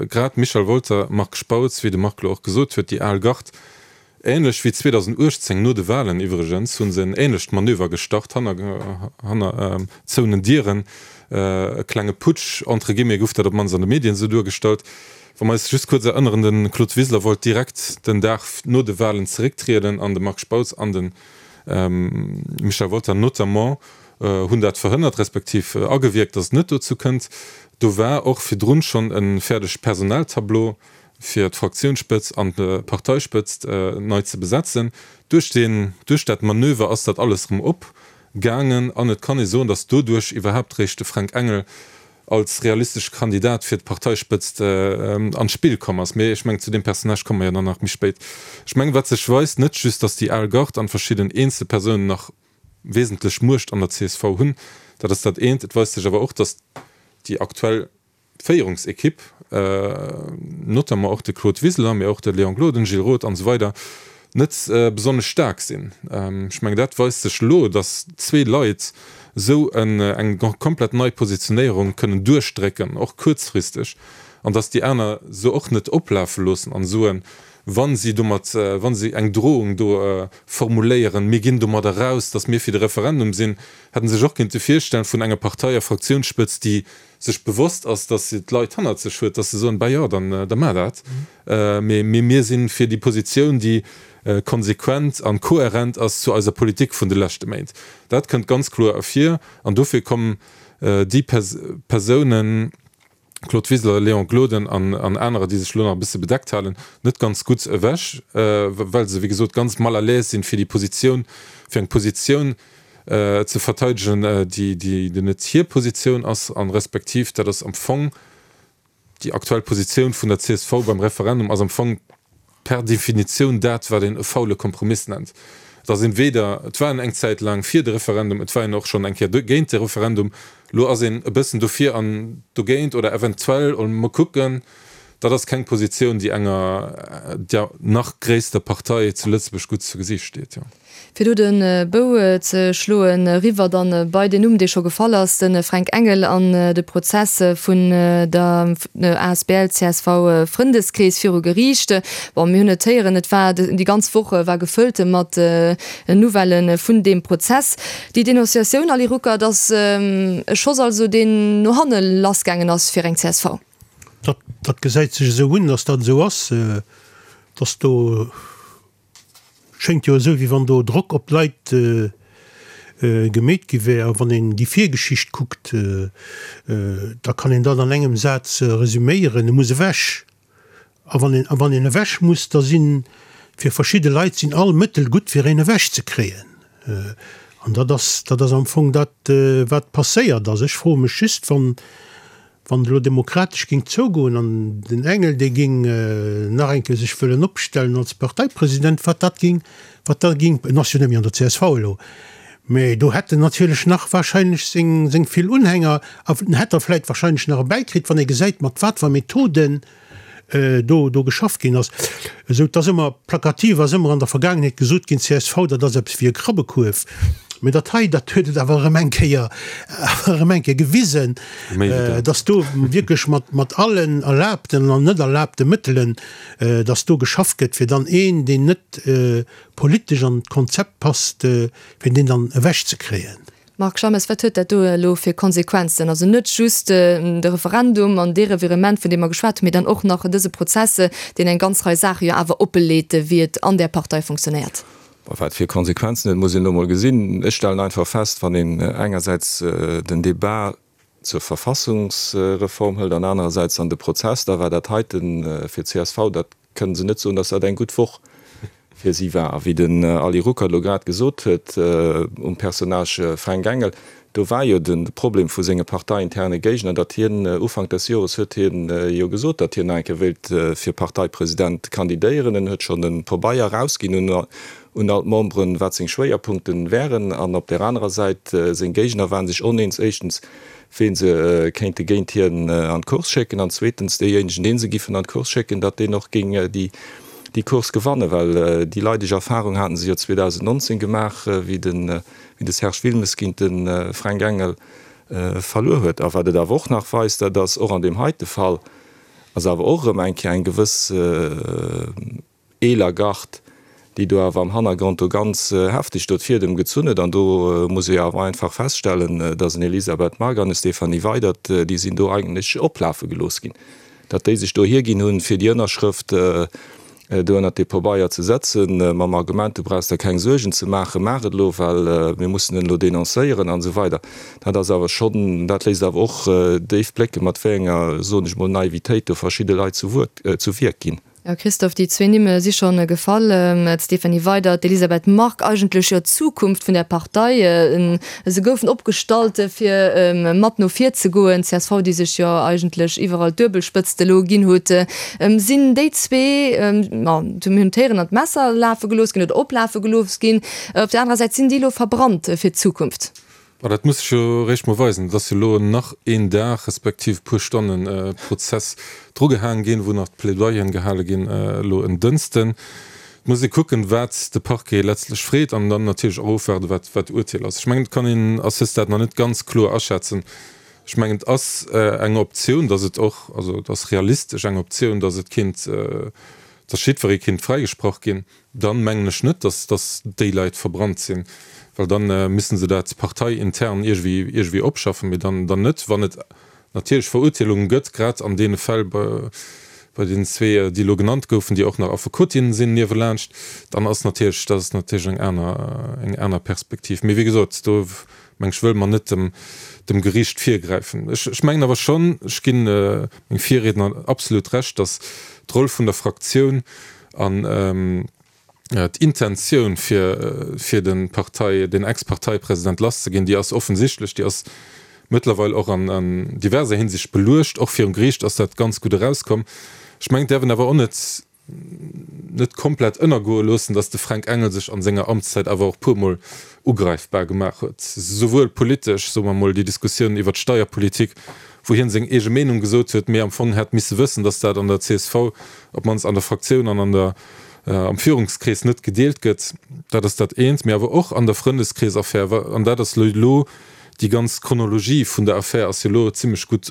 grad Michel Wolter, Marc Spautz, wéi de Marc elo och gesot huet, déi al Gard, ähnlech wéi zweedausenduechtzéng no de Wahlen iwwregens, hu se en ähnlecht Manöver gestart, hanner, hanner zouenen Dieren, e klenge Putsch, entre guillemets, gouf dat op d'mannst an de Medien esou duergestallt. Wa mer eis just kuerz erënneren, de Claude Wiseler wollt direkt den Dag no de Wahlen zerécktrieden an de Marc Spautz an de Michel Wolter notamment hunn dat verhënnert, respektiv agewierkt, datt et net dozou kënnt. Do war och virdrun schonn e fäerdegt Personaltableau fir d'Fraktiounsspëtzt an d'Parteispëtzt nei ze besetzen. Duerch deen, duerch dat Manöver ass dat alles erëm opgaangen an et kann ee soen, datt doduerch iwwerhaapt réischt de Fränk Engel als realistesche Kandidat fir d'Parteispëtzt an d'Spill komm ass. Mee ech mengen, zu deem Personnage komme mer jo dann nach méi spéit. Ech mengen, wat sech weist, net just, datt déi al Garde an verschidden eenzel Persounen nach wesentlech Muecht an der C S V hunn, dat ass dat eent, et weist sech awer och, datt déi aktuell Féierungsekipp, notamment och de Claude Wiseler, mee och de Léon Gloden, Gilles Roth an esou weider, net besonnesch staark sinn. Ech mengen, dat weist sech elo, datt zwee Leit esou eng komplett nei Positionéierung kënnen duerchdrécken, och kuerzfristeg, an datt déi aner se och net oplafe loossen an soen, wa si domat, wa si eng Drohung do formuléieren, mir ginn domat eraus, datt mir fir de Referendum sinn, hätte sech och kéinte virstellen, vun enger Partei a Fraktiounsspëtzt, déi sech bewosst ass, datt se d'Leit hannert sech huet, datt se soen, bah jo, dann da maach dat, mee mir si fir déi Positioun, déi konsequent an kohärent ass zu eiser Politik vun de leschte Méint. Dat kënnt ganz kloer ervir an dofir kommen déi Persounen, Claude Wiseler, Léon Gloden an anerer, déi sech elo nach e bësse bedeckt halen, net ganz gutt ewech, well se, wéi gesot, ganz mal à l'aise sinn, fir déi Positioun, fir eng Positioun ze verteidegen, déi net hir Positioun ass an respektiv dat ass am Fong déi aktuell Positioun vun der C S V beim Referendum ass am Fong per Definitioun dat, wat een e faule Kompromiss nennt. Et ass een weder, et war een eng Zäit laang fir de Referendum, et war een och schonn eng Kéier géint de Referendum, elo ass een e bëssen dofir an dogéint oder eventuell oder mol kucken. Dat ass keng Positioun, déi enger der nach gréisster Partei zu Lëtzebuerg gutt zu Gesiicht steet. Fir do de Bou ze schloen, eriwwer dann bei den Numm, dee scho gefall ass, de Fränk Engel an de Prozess vun der A S B L C S V Frëndeskrees viru Geriicht. Bon, mir hunn et héieren, et war déi ganz Woch war gefëllt mat Nouvellë vun deem Prozess. Déi Denonciatioun, Ali Ruckert, ass e Schoss also, deen no hanne lassgaangen ass fir eng C S V. Dat, dat gesäit sech esou un, dass dat esou ass, dass do, schéngt jo esou, wéi wann do Drock op d'Leit gemeet gi wär. A wann een déi Virgeschicht kuckt, da kann een dat an engem Saz resüméieren, E muss ewech. A wann een, a wann een ewech muss, da si fir verschidde Leit sinn all Mëttel gutt, fir een ewechzekréien. An dat ass, dat ass am Fong dat, wat passéiert ass. Ech froe mech just, wann, Wann et elo demokratesch géing zougoen an den Engel, dee géing nach eng Kéier sech wëllen opstellen als Parteipresident, wat dat géing, wat da géing, en ass jo net méi an der C S V elo, mä do hätt en natierlech nach wahrscheinlech seng, seng vill Unhänger a en hätt der vläicht wahrscheinlech nach erbäikritt, wann ee gesäit, mat wat fir Methoden do, do geschafft ginn ass. Esou, et ass ëmmer plakativ ass ëmmer an der Vergaangenheet gesot ginn, C S V, dat ass eppes wéi e Krabbekuerf. Mee dat hei, dat huet et awer erëm eng Kéier, awer erëm eng Kéier gewisen, dass do wierklech mat, mat allen erlaabten an net erlaabte Mëttelen, dass do geschafft gëtt, fir dann een, deen net politesch an d'Konzept passt, fir deen dann ewechzekréien. Marc Schammes, wat huet dat do elo fir Konsequenzen? Also net just de Referendum an dee Revirement, vun deem mer geschwat hunn, mee dann och nach dëse Prozess, deen eng ganz Rei Saache jo awer oppeleet, wéi et an där Partei funktionéiert. Wat fir Konsequenzen huet, muss een elo mol gesinn. Ech stellen einfach fest, wann een engersäits den Débat zur Verfassungsreform hëlt an anerersäits dann de Prozess, da war dat heite fir d'C S V, dat kënne se net soen, dass dat eng gutt Woch fir si war. A wéi den Ali Ruckert elo grad gesot huet um Personnage Fränk Engel, do war jo de Problem vu senge parteiinterne Géigner, datt hien Ufank des Jores huet hien jo gesot, datt hien nach eng Kéier wéilt fir Parteipresident kandidéieren. En huet schonn e Pabeier erausginn un un all d'Memberen, wat seng Schwéierpunkte wären. An op där anerer Säit, seng Géigner ware sech oneens, éischtens, ween se kéinte géint hien an d'Course schécken, an zweetens, deejéinegen, dee se giffen an d'Course schécken, datt deen och géing déi déi Course gewannen, well déi leideg Erfahrung haten se jo zweedausendnonzéng gemaach, wéi de wéi de Serge Wilmes géint de Fränk Engel verluer huet. A wat et awer och nach weist, dat ass, och an deem heite Fall ass awer och erëm eng Kéier eng gewëss eeler Gard, déi do awer am Hannergrond do ganz hefteg do d'Fiedem gezunn huet. An do muss ee jo awer einfach feststellen, dass en Elisabeth Margue an e Stéphanie Weydert, déi sinn do eigentlech oplafe gelooss ginn, datt déi sech do hierginn hunn, fir déi Ënnerschrëft do ënnert dee Pabeier ze setzen, mam Argument, du brauchs der keng Suergen ze maachen, maach et elo, well mir mussen en elo denoncéieren an esou weider. Dat ass awer schonn, dat léisst awer och déif blécken, mat wéi enger, soen ech mol, Naivitéit do verschidde Leit zu Wuert, zu Wierk ginn. Jo, Christophe, déi zwee Nimm si scho gefall, d'Stéphanie Weydert, d'Elisabeth Margue, eigentlech jo d'Zukunft vun der Partei. Se goufen opgestallt, fir mat no vir ze goen. D'CSV, déi sech jo eigentlech iwwerall d'Duebelspëtzt elo ginn huet. Sinn déi zwee, ma mir hunn d'Héieren an d'Messer lafe gelooss ginn oder oplafe gelooss ginn, op der anerer Säit, sinn déi elo verbrannt fir d'Zukunft? Ma dat muss sech jo eréischt mol weisen. Et ass jo elo nach een Dag respektiv e puer Stonne Prozess drugehaang ginn, wou nach d'Plädoyeren gehale ginn elo en Dënsten. Et muss ee kucken, wat de Parquet letztlech freet an dann natierlech och ofwaarden, wat wat d'Urteel ass. Ech mengen, et kann een à ce stade nach net ganz kloer aschätzen. Ech mengen, et ass eng Optioun, datt et och, also et ass realistesch eng Optioun, datt et kéint, datt jiddweree kéint fräigesprach ginn. Dann mengen ech net, datt datt déi Leit verbrannt sinn, well dann missten se dat parteiintern iergwéi iergwéi opschaffen, mee dann dann net, wann et natierlech Verurteelungen gëtt, grad an deene Fäll bei bei deenen zwee, déi elo genannt goufen, déi och nach Affekotinnen sinn niewelaanscht, dann ass natierlech, dat ass natierlech eng aner eng aner Perspektiv. Mee wéi gesot, do meng ech wëlle mer net dem dem Geriicht virgräifen. Ech ech mengen awer schonn, ech ginn mengem Virriedner absolut Recht, datt d'Roll vun der Fraktioun an d'Intentioun fir fir de Partei den Ex-Parteipresident lasszeginn, déi ass offensichtlech, déi ass mëttlerweil och an an diverser Hinsicht beluecht. Och virum Geriicht ass dat ganz gutt erauskomm. Ech mengen, et däerf een awer och net net komplett ënnergoe loossen, datt de Fränk Engel sech an senger Amtszäit awer och puermol ugräifbar gemaach huet, souwuel politesch, soe mer mol déi Diskussioun iwwert d'Steierpolitik, wou hien seng eege Meenung gesot huet, mee am Fong hätt misse wëssen, datt dat an der csv, op d'mannst an der Fraktioun an an der am Führungskrees net gedeelt gëtt. Dat ass dat eent. Mee awer och an der Frëndeskreesaffär, an dat ass elo déi ganz Chronologie vun der Affär ass jo elo zimlech gutt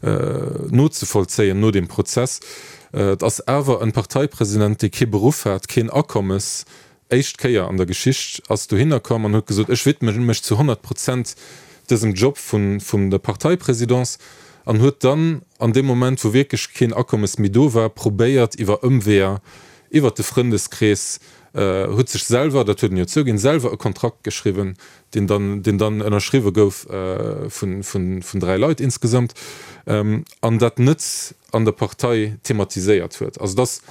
nozevollzéien no deem Prozess. Et ass awer en Parteipresident, dee kee Beruff hat, keen Akommes, éischt Kéier an der Geschicht, ass dohinner komm an huet gesot, ech widme mech zu honnert Prozent dësem Job vun vun der Parteipresidence an huet dann an deem Moment, wou wierklech keen Akommes méi do war, probéiert iwwer Ëmweeër, iwwert de Frëndeskrees, huet sech selwer, dat huet en jo zouginn, selwer e Kontrakt geschriwwen, deen dann, deen dann ënnerschriwwe gouf vun, vun, vun dräi Leit insgesamt, an dat net an der Partei thematiséiert huet. Also et ass,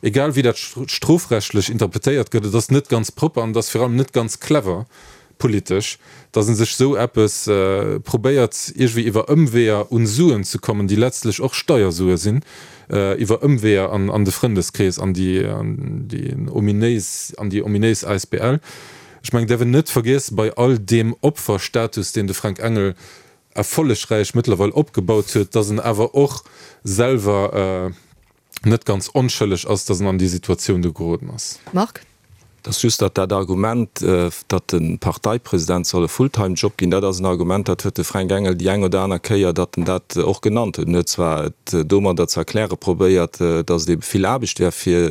egal wéi dat strofrechtlech interpretéiert gëtt, et ass net ganz propper an et ass virun allem net ganz clever politesch, datt e sech esou eppes probéiert iergendwéi iwwer Ëmweeër un Suen ze kommen, déi letztlech och Steiersue sinn, iwwer Ëmweeër an an de Frëndeskrees, an déi an déi ominéis an déi ominéis asbl. Ech mengen, et däerf een net vergiessen, bei all deem Opferstatus, deen de Fränk Engel erfollegräich mëttlerweil opgebaut huet, datt en awer och selwer net ganz onschëlleg ass, datt en an déi Situatioun do geroden ass. Marc. Et ass just, datt dat Argument, datt de Parteipresident soll e Fulltime-Job ginn, dat ass en Argument, dat huet de Fränk Engel déi eng oder aner Kéier, datt en dat och genannt huet. En huet zwar et domadder ze erkläre probéiert, datt et ebe vill Aarbecht wär fir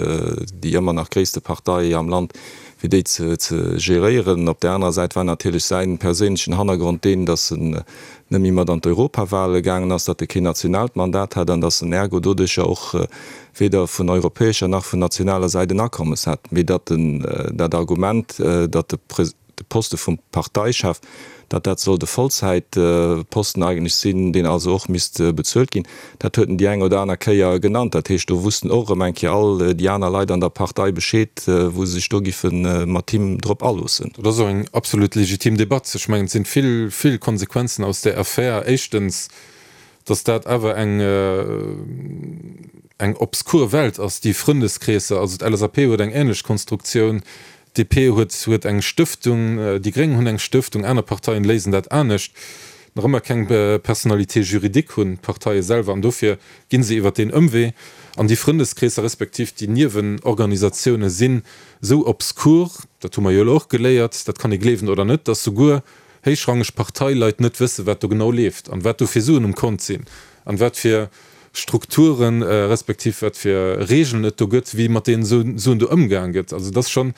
déi ëmmer nach gréisste Partei am Land, fir déi ze geréieren. Op där anerer Säit war natierlech säi perséinlechen Hannergrond deen, datt en net méi mat an d'Europawale gaangen ass, datt e keen nationaalt Mandat hat an datt en ergo doduercher och weder vun europäescher nach vun nationaler Säit en Akommes hat, mee datt en dat Argument, datt de Poste vum Parteichef, datt dat sollt e Vollzäitposten eigentlech sinn, deen also och misst bezuelt ginn, dat huet en déi eng oder aner Kéier genannt. Dat heescht, do wussten och erëm eng Kéier all déi aner Leit an der Partei Bescheed, wou se sech do giffe mat him drop aloossen. Dat ass och eng absolut legitim Debatt. Ech mengen, et sinn vill, vill Konsequenzen aus där Affär. Éischtens, datt dat awer eng, eng obskur Welt ass, déi Frëndeskreesser. Also d'LSAP huet eng ähnlech Konstruktioun, d'DP huet, huet eng Stëftung, déi Gréng hunn eng Stëftung, aner Parteien léisen dat anescht. Nach ëmmer keng Personnalité juridique hunn d'Parteie selwer an dofir gi se iwwert deen Ëmwee. An déi Frëndeskreesser respektiv déi Niewenorganisatioune sinn esou obskur, dat hu mer jo elo och geléiert, dat kann ee gleewen oder net, datt souguer héichrangeg Parteileit net wësse wat do genau leeft an wat do fir Suen um Kont sinn an wat fir Strukturen respektiv wat fir Regeln et do gëtt, wéi mat deenen Suen do ëmgaang gëtt. Also et ass schonn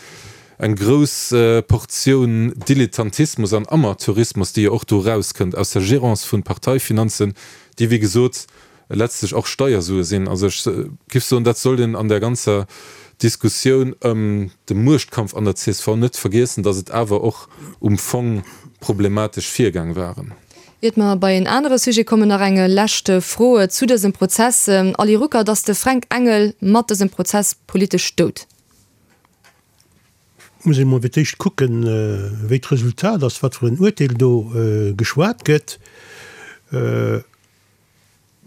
eng grouss Portioun Dilettantismus an Amateurismus, déi jo och do erauskënnt aus der Gérance vun Parteifinanzen, déi wéi gesot letztlech och Steiersue sinn. Also ech giff soen, dat sollt een an där ganzer Diskussioun ëm de Muechtkampf an der csv net vergiessen, datt et awer och um Fong problematesch Virgäng waren. Iert mer bei en anere Sujet kommen, nach eng lescht Fro zu dësem Prozess. Ali Ruckert, Ass de Fränk Engel mat dësem Prozess politesch dout? Muss ee mol fir d'éischt kucken, wéi d'Resultat ass, wat fir en Urteel do geschwat gëtt.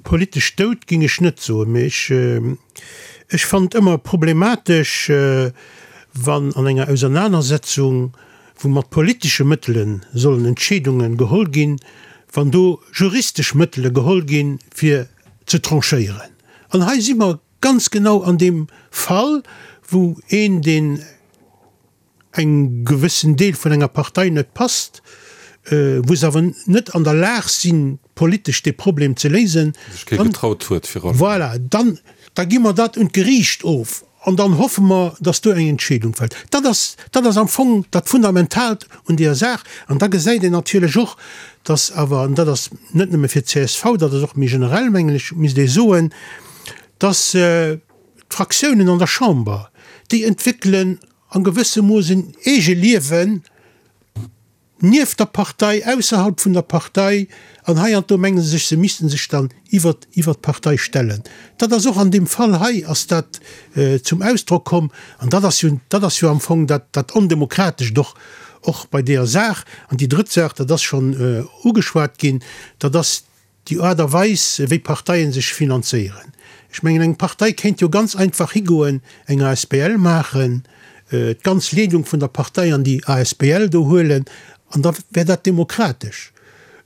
Politesch dout géing ech net soen, mee ech, ech fannen et ëmmer problematesch, wann an enger Ausernanersetzung, wou mat politesche Mëttele sollen Entscheedunge geholl ginn, wann do juristesch Mëttele geholl ginn, fir ze tranchéieren. An hei si mer ganz genau an deem Fall, wou een, deen engem gewëssen Deel vun enger Partei net passt, wou se awer net an der Lag sinn, politesch dee Problem ze léisen, Sech kee getraut huet virun. Voilà, dann, da gi mer dat un d'Geriicht of an dann hoffe mer, dass do eng Entscheedung fält. Dat ass, dat ass am Fong dat Fundamentaalt un deeër Saach. An da gesäit een natierlech och, dass awer, an dat ass net nëmme fir d'CSV, dat ass och méi generell, mengen ech, misst ee soen, dass d'Fraktiounen an der Chamber, déi entwéckelen a gewëssem Mooss en Eegeliewen nieft der Partei, ausserhalb vun der Partei, an hei an do menge se sech, se misste sech dann iwwert iwwert d'Partei stellen. Dat ass och an deem Fall hei ass dat zum Ausdrock komm, an dat ass jo, dat ass jo am Fong dat dat Ondemokratescht och och bei deeër Saach. An déi drëtt Saach, dat ass schonn ugeschwat ginn, dat ass déi Aart a Weis, wéi Parteien sech finanzéieren. Ech mengen, eng Partei kéint jo ganz einfach higoen, eng asbl maachen, d'ganz Leedung vun der Partei an déi asbl do huelen, an da wär dat demokratesch.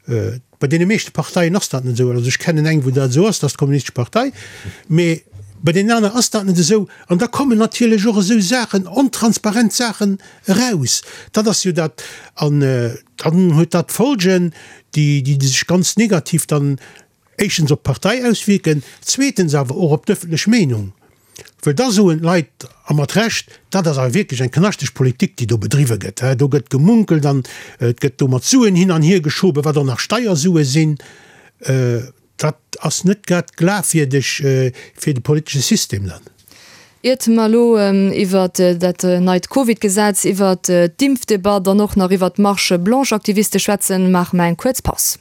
Bei deene meeschte Parteien ass dat net esou. Also ech kennen eng, wou dat esou ass, dat ass d'Kommunistesch Partei. Mee bei deenen aner ass dat net esou. An da kommen natierlech och esou Saachen, ontransparent Saachen eraus. Dat ass jo dat. An dann huet dat Folgen, déi, déi sech ganz negativ dann éischtens op d'Partei auswierken, zweetens awer och op d'ëffentlech Meenung. Well da soen d'Leit, a mat Recht, dat ass awer wierklech eng knaschteg Politik, déi do bedriwwe gëtt. Do gëtt gemunkelt an et gëtt do mat Suen hin an hier geschoben, wat och nach Steiersue sinn. Dat ass net grad glafwierdeg fir de politesche System dann. Iert mer elo iwwert dat neit Covid-Gesetz, iwwert d'Impfdebatt an och nach iwwert d'Marche blanche-Aktiviste schwätzen, maache mer eng kuerz Paus.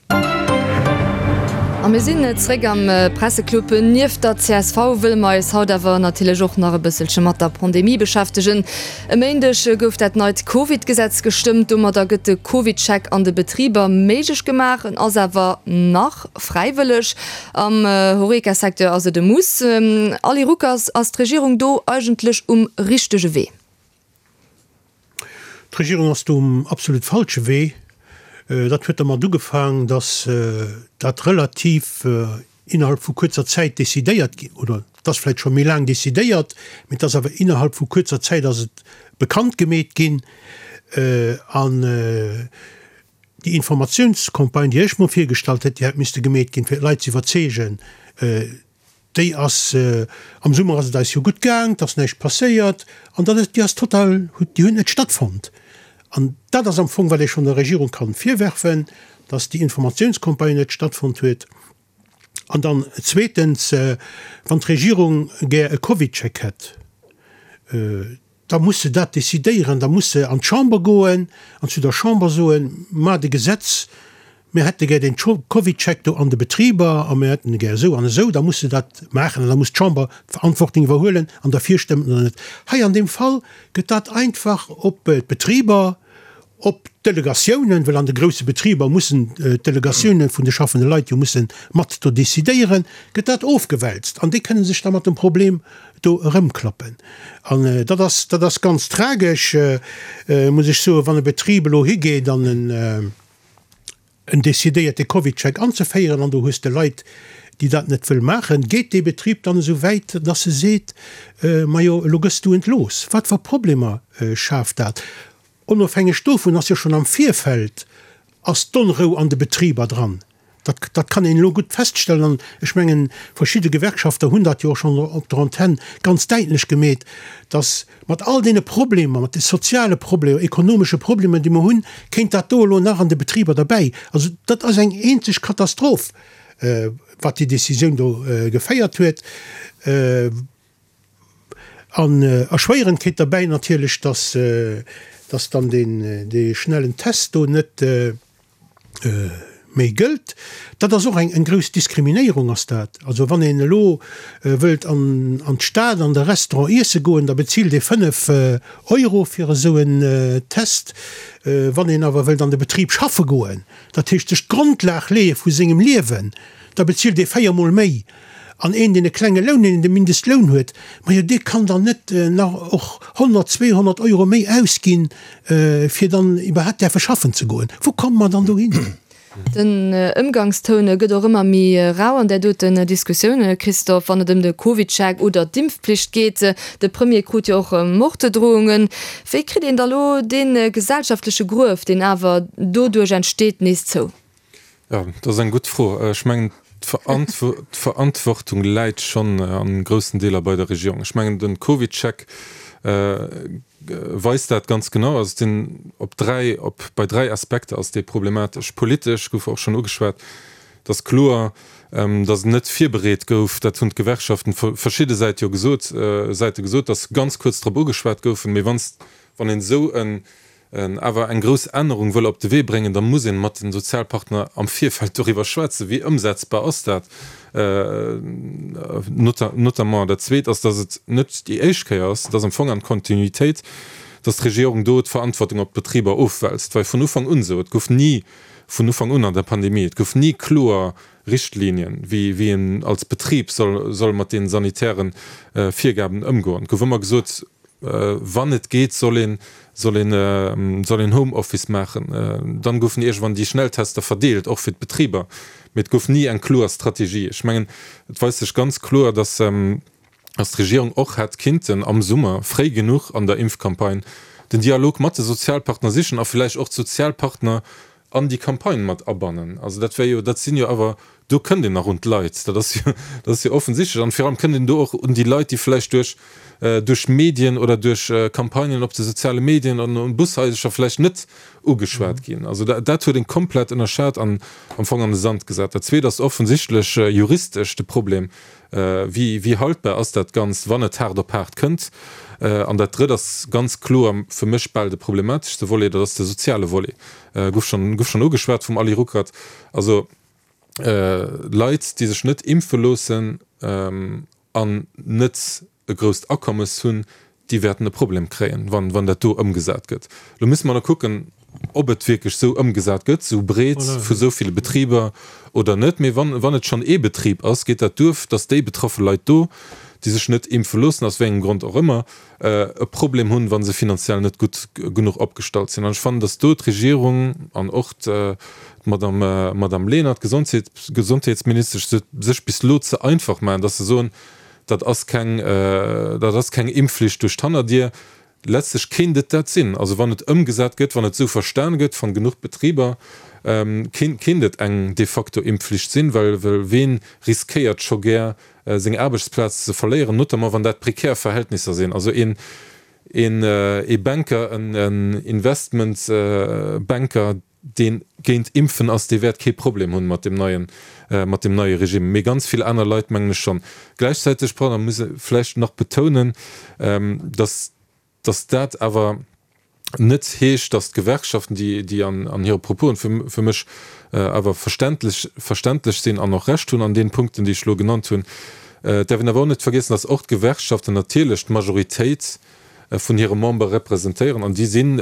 A mir sinn zréck am Presseclub. Nieft der csv wëlle mer eis haut awer natierlech och nach e bësselche mat der Pandemie beschäftegen. E Méindeg gouf dat neit Covid-Gesetz gestëmmt. Domadder gëtt de CovidCheck an de Betriber méiglech gemaach. En ass awer nach fräiwëlleg. Am Horeca-Secteur ass et e Muss. Ali Ruckers, ass d'Regierung do eigentlech um richtege Wee? D'Regierung ass do um absolut falsche Wee. Dat huet dermat ugefaang, datt dat relativ innerhalb vu kuerzer Zäit decidéiert ginn, oder et ass vläicht scho méi laang decidéiert, mee et ass awer innerhalb vu kuerzer Zäit ass et bekannt gemeet ginn. An déi Informatiounscampagne, déi ech mer virgestallt hätt, déi hätt misste gemeet ginn, fir d'Leit ze iwwerzeegen, déi ass, am Summer ass et eis jo gutt gaang, et ass näischt passéiert, an dat ass, déi ass total, déi huet net stattfonnt. An dat ass am Fong, wat ee schonn der Regierung kann virwerfen, dass déi Informatiounscampagne net stattfonnt huet. An dann zweetens, wann d'Regierung gär e CovidCheck hätt, da muss se dat decidéieren, da muss se an d'Chamber goen an zu der Chamber soen, Maacht e Gesetz, mir hätte gär deen CovidCheck do an de Betriber a mir hätten e gär esou an esou. Da muss se dat maachen an da muss d'Chamber d'Verantwortung iwwerhuelen an derfir stëmmen oder net. Hei an deem Fall gëtt dat einfach op d'Betriber, op d'Delegatiounen, well an de grousse Betriber mussen d'Delegatiounen vun de schaffende Leit jo musse mat do decidéieren, gëtt dat ofgewälzt an déi kënne sech da mat dem Problem do erëmklappen. An dat ass, dat ass ganz tragesch, muss ech soen, wann e Betrib elo higeet an en, en decidéiert de CovidCheck anzeféieren an do hues de Leit, déi dat net wëll maachen, geet dee Betrib dann esou wäit, dass e seet, Majo, elo gëss du entlooss? Wat fir Problemer schaaft dat? Onofhängeg dovun ass jo schonn am Virfeld ass d'Onrou an de Betriber dran. Dat, dat kann een elo gutt feststellen an ech mengen, verschidde Gewerkschafter hunn dat jo och schonn op der Antenn ganz däitlech gemeet, dass mat all deene Problemer, mat de soziale Problemer, ekonomesche Problemer, déi mer hunn, kéint dat do elo nach an de Betriber derbäi. Also dat ass eng eenzeg Katastroph, wat déi Décisioun do geféiert huet. An erschwéierend kéint derbäi natierlech, dass, dass dann deen, dee schnellen Test do net méi gëllt. Dat ass och eng, eng grouss Diskriminéierung ass dat. Also wann een elo wëllt an, an d'Stad an de Restaurant iesse goen, da bezilt ee fënnef Euro fir esou en Test. Wann een awer wëllt an de Betrib schaffe goen, dat heescht sech d'Grondlag leeë vu sengem Liewen, da bezilt ee véier Mol méi. An een, deen e klenge Loun, deen de Mindestloun huet, majo dee kann dann net nach och honnert, zweehonnert Euro méi ausginn, fir dann iwwerhaapt däerfe schaffen ze goen. Wou komme mer dann dohin? Den Ëmgangstoun gëtt och ëmmer méi rau an där doten Diskussioun, Christophe, wann et ëm de CovidCheck oder d'Impfpflicht geet. De Premier krut jo och Morddrohungen. Wéi kritt een da lo dee gesellschaftleche Gruef, deen awer doduerch entsteet, nees zou? Jo, dat ass eng gutt Fro. Ech mengen, d'Verantwortung läit schonn a groussen Deeler bei der Regierung. Ech mengen, de CovidCheck weist dat ganz genau. Also et sinn op dräi, op bei dräi Aspekter ass dee problematesch. Politesch gouf och schonn ugeschwat, et ass kloer, datt en net virbereet gouf. Dat hunn d'Gewerkschaften verschidde Säit jo gesot, Säite gesot, datt se ganz kuerz drop ugeschwat goufen. Mee wann wann een esou en awer eng grouss Ännerung wëll op de Wee bréngen, da muss een mat den Sozialpartner am Virfeld doriwwer schwätzen, wéi ëmsetzbar ass dat notamment. Dat Zweet ass, datt et net déi éischt Kéier ass, et ass am Fong an Kontinuitéit, datt d'Regierung do d'Verantwortung op d'Betriber ofwälzt. Et war vun Ufank un esou, et gouf ni vun Ufank un an der Pandemie, et gouf ni kloer Richtlinien, wéi wéi een als Betrib soll soll mat deenen sanitären Virgaben ëmgoen. Et gouf ëmmer gesot, Wann et geet, soll een, soll een, soll een Homeoffice maachen. Dann goufen iergendwann déi Schnelltester verdeelt, och fir d'Betriber, mee et gouf ni eng kloer Strategie. Ech mengen, et weist sech ganz kloer, dass, dass d'Regierung och hätt kinnten am Summer, fréi genuch an der Impfcampagne, den Dialog mat de Sozialpartner sichen a villäicht och d'Sozialpartner an déi Campagne mat abannen. Also dat wär jo, dat sinn jo awer, do kënnt een nach un d'Leit, dat ass jo, dat ass jo offensichtlech. An virun allem kënnt een do och un déi Leit, déi vläicht duerch, duerch Medien oder duerch Campagnen op de soziale Medien an un Bushaisercher vläicht net ugeschwat ginn. Also dat, dat huet een komplett ënnerschat an am Fong an de Sand gesat. Dat Zweet ass offensichtlech juristesch de Problem, Wéi, wéi haltbar ass dat Ganzt, wann et haart op haart kënnt? An dat Drëtt ass ganz kloer fir mech bal de problemateschste Volet, dat ass de soziale Volet. Gouf schonn, gouf schonn ugeschwat vum Ali Ruckert. Also Leit, déi sech net impfe loossen an net e grousst Akommes hunn, déi wäerten e Problem kréien, wann, wann dat do ëmgesat gëtt. Elo musse mer nach kucken, ob et wierklech esou ëmgesat gëtt, esou breet vu esou ville Betriber oder net. Mee wann, wann et schonn ee Betrib ass, geet dat duer, datt déi betraffe Leit do, déi sech net impfe loossen, aus wéi engem Grond och ëmmer, e Problem hunn, wa se finanziell net gutt genuch opgestallt sinn. An ech fannen, datt do d'Regierung an och d'Madame, Madame Lenert, d'Gesondheetsministesch, sech bis elo ze einfach maachen, datt se soen, Dat ass keng, dat ass keng Impfflicht duerch d'Hannerdier. Letztlech kéint et dat sinn. Also wann et ëmgesat gëtt, wann et esou verstan gëtt van genuch Betriber, kéint et eng de facto Impfflicht sinn, well ween riskéiert scho gär seng Aarbechtsplaz ze verléieren, notamment wann dat prekär Verhältnisser sinn. Also een, een, ee Banker, en Investmentbanker, deen géint Impfen ass, dee wäert kee Problem hunn mat deem neien, mat deem neie Regime, mee ganz vill aner Leit mengen ech schonn. Gläichzäiteg, pardon, muss e vläicht nach betounen, dass, dass dat awer net heescht, dass d'Gewerkschaften, déi, déi an, an hire Proposen fir, fir mech awer verständlech, verständlech sinn an och Recht hunn an deenen Punkten, déi ech elo genannt hunn, et däerf een awer och net vergiessen, dass och d'Gewerkschaften natierlech d'Majoritéit vun hire Membere representéieren an déi sinn,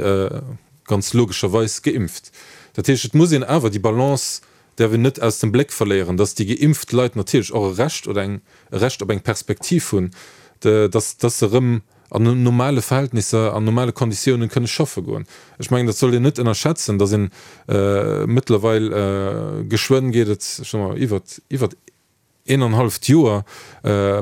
ganz logescherweis geimpft. Dat heescht, et muss een awer déi Balance däerf een net aus dem Bléck verléieren, dass déi geimpft Leit natierlech och e Recht oder eng e Recht op eng Perspektiv hunn, dass dass se erëm an normale Verhältnisser, an normale Konditiounen kënne schaffe goen. Ech mengen, dat sollt een net ënnerschätzen, dass een mëttlerweil, geschwënn geet et, ech soe mol, iwwert iwwert een an halleft Joer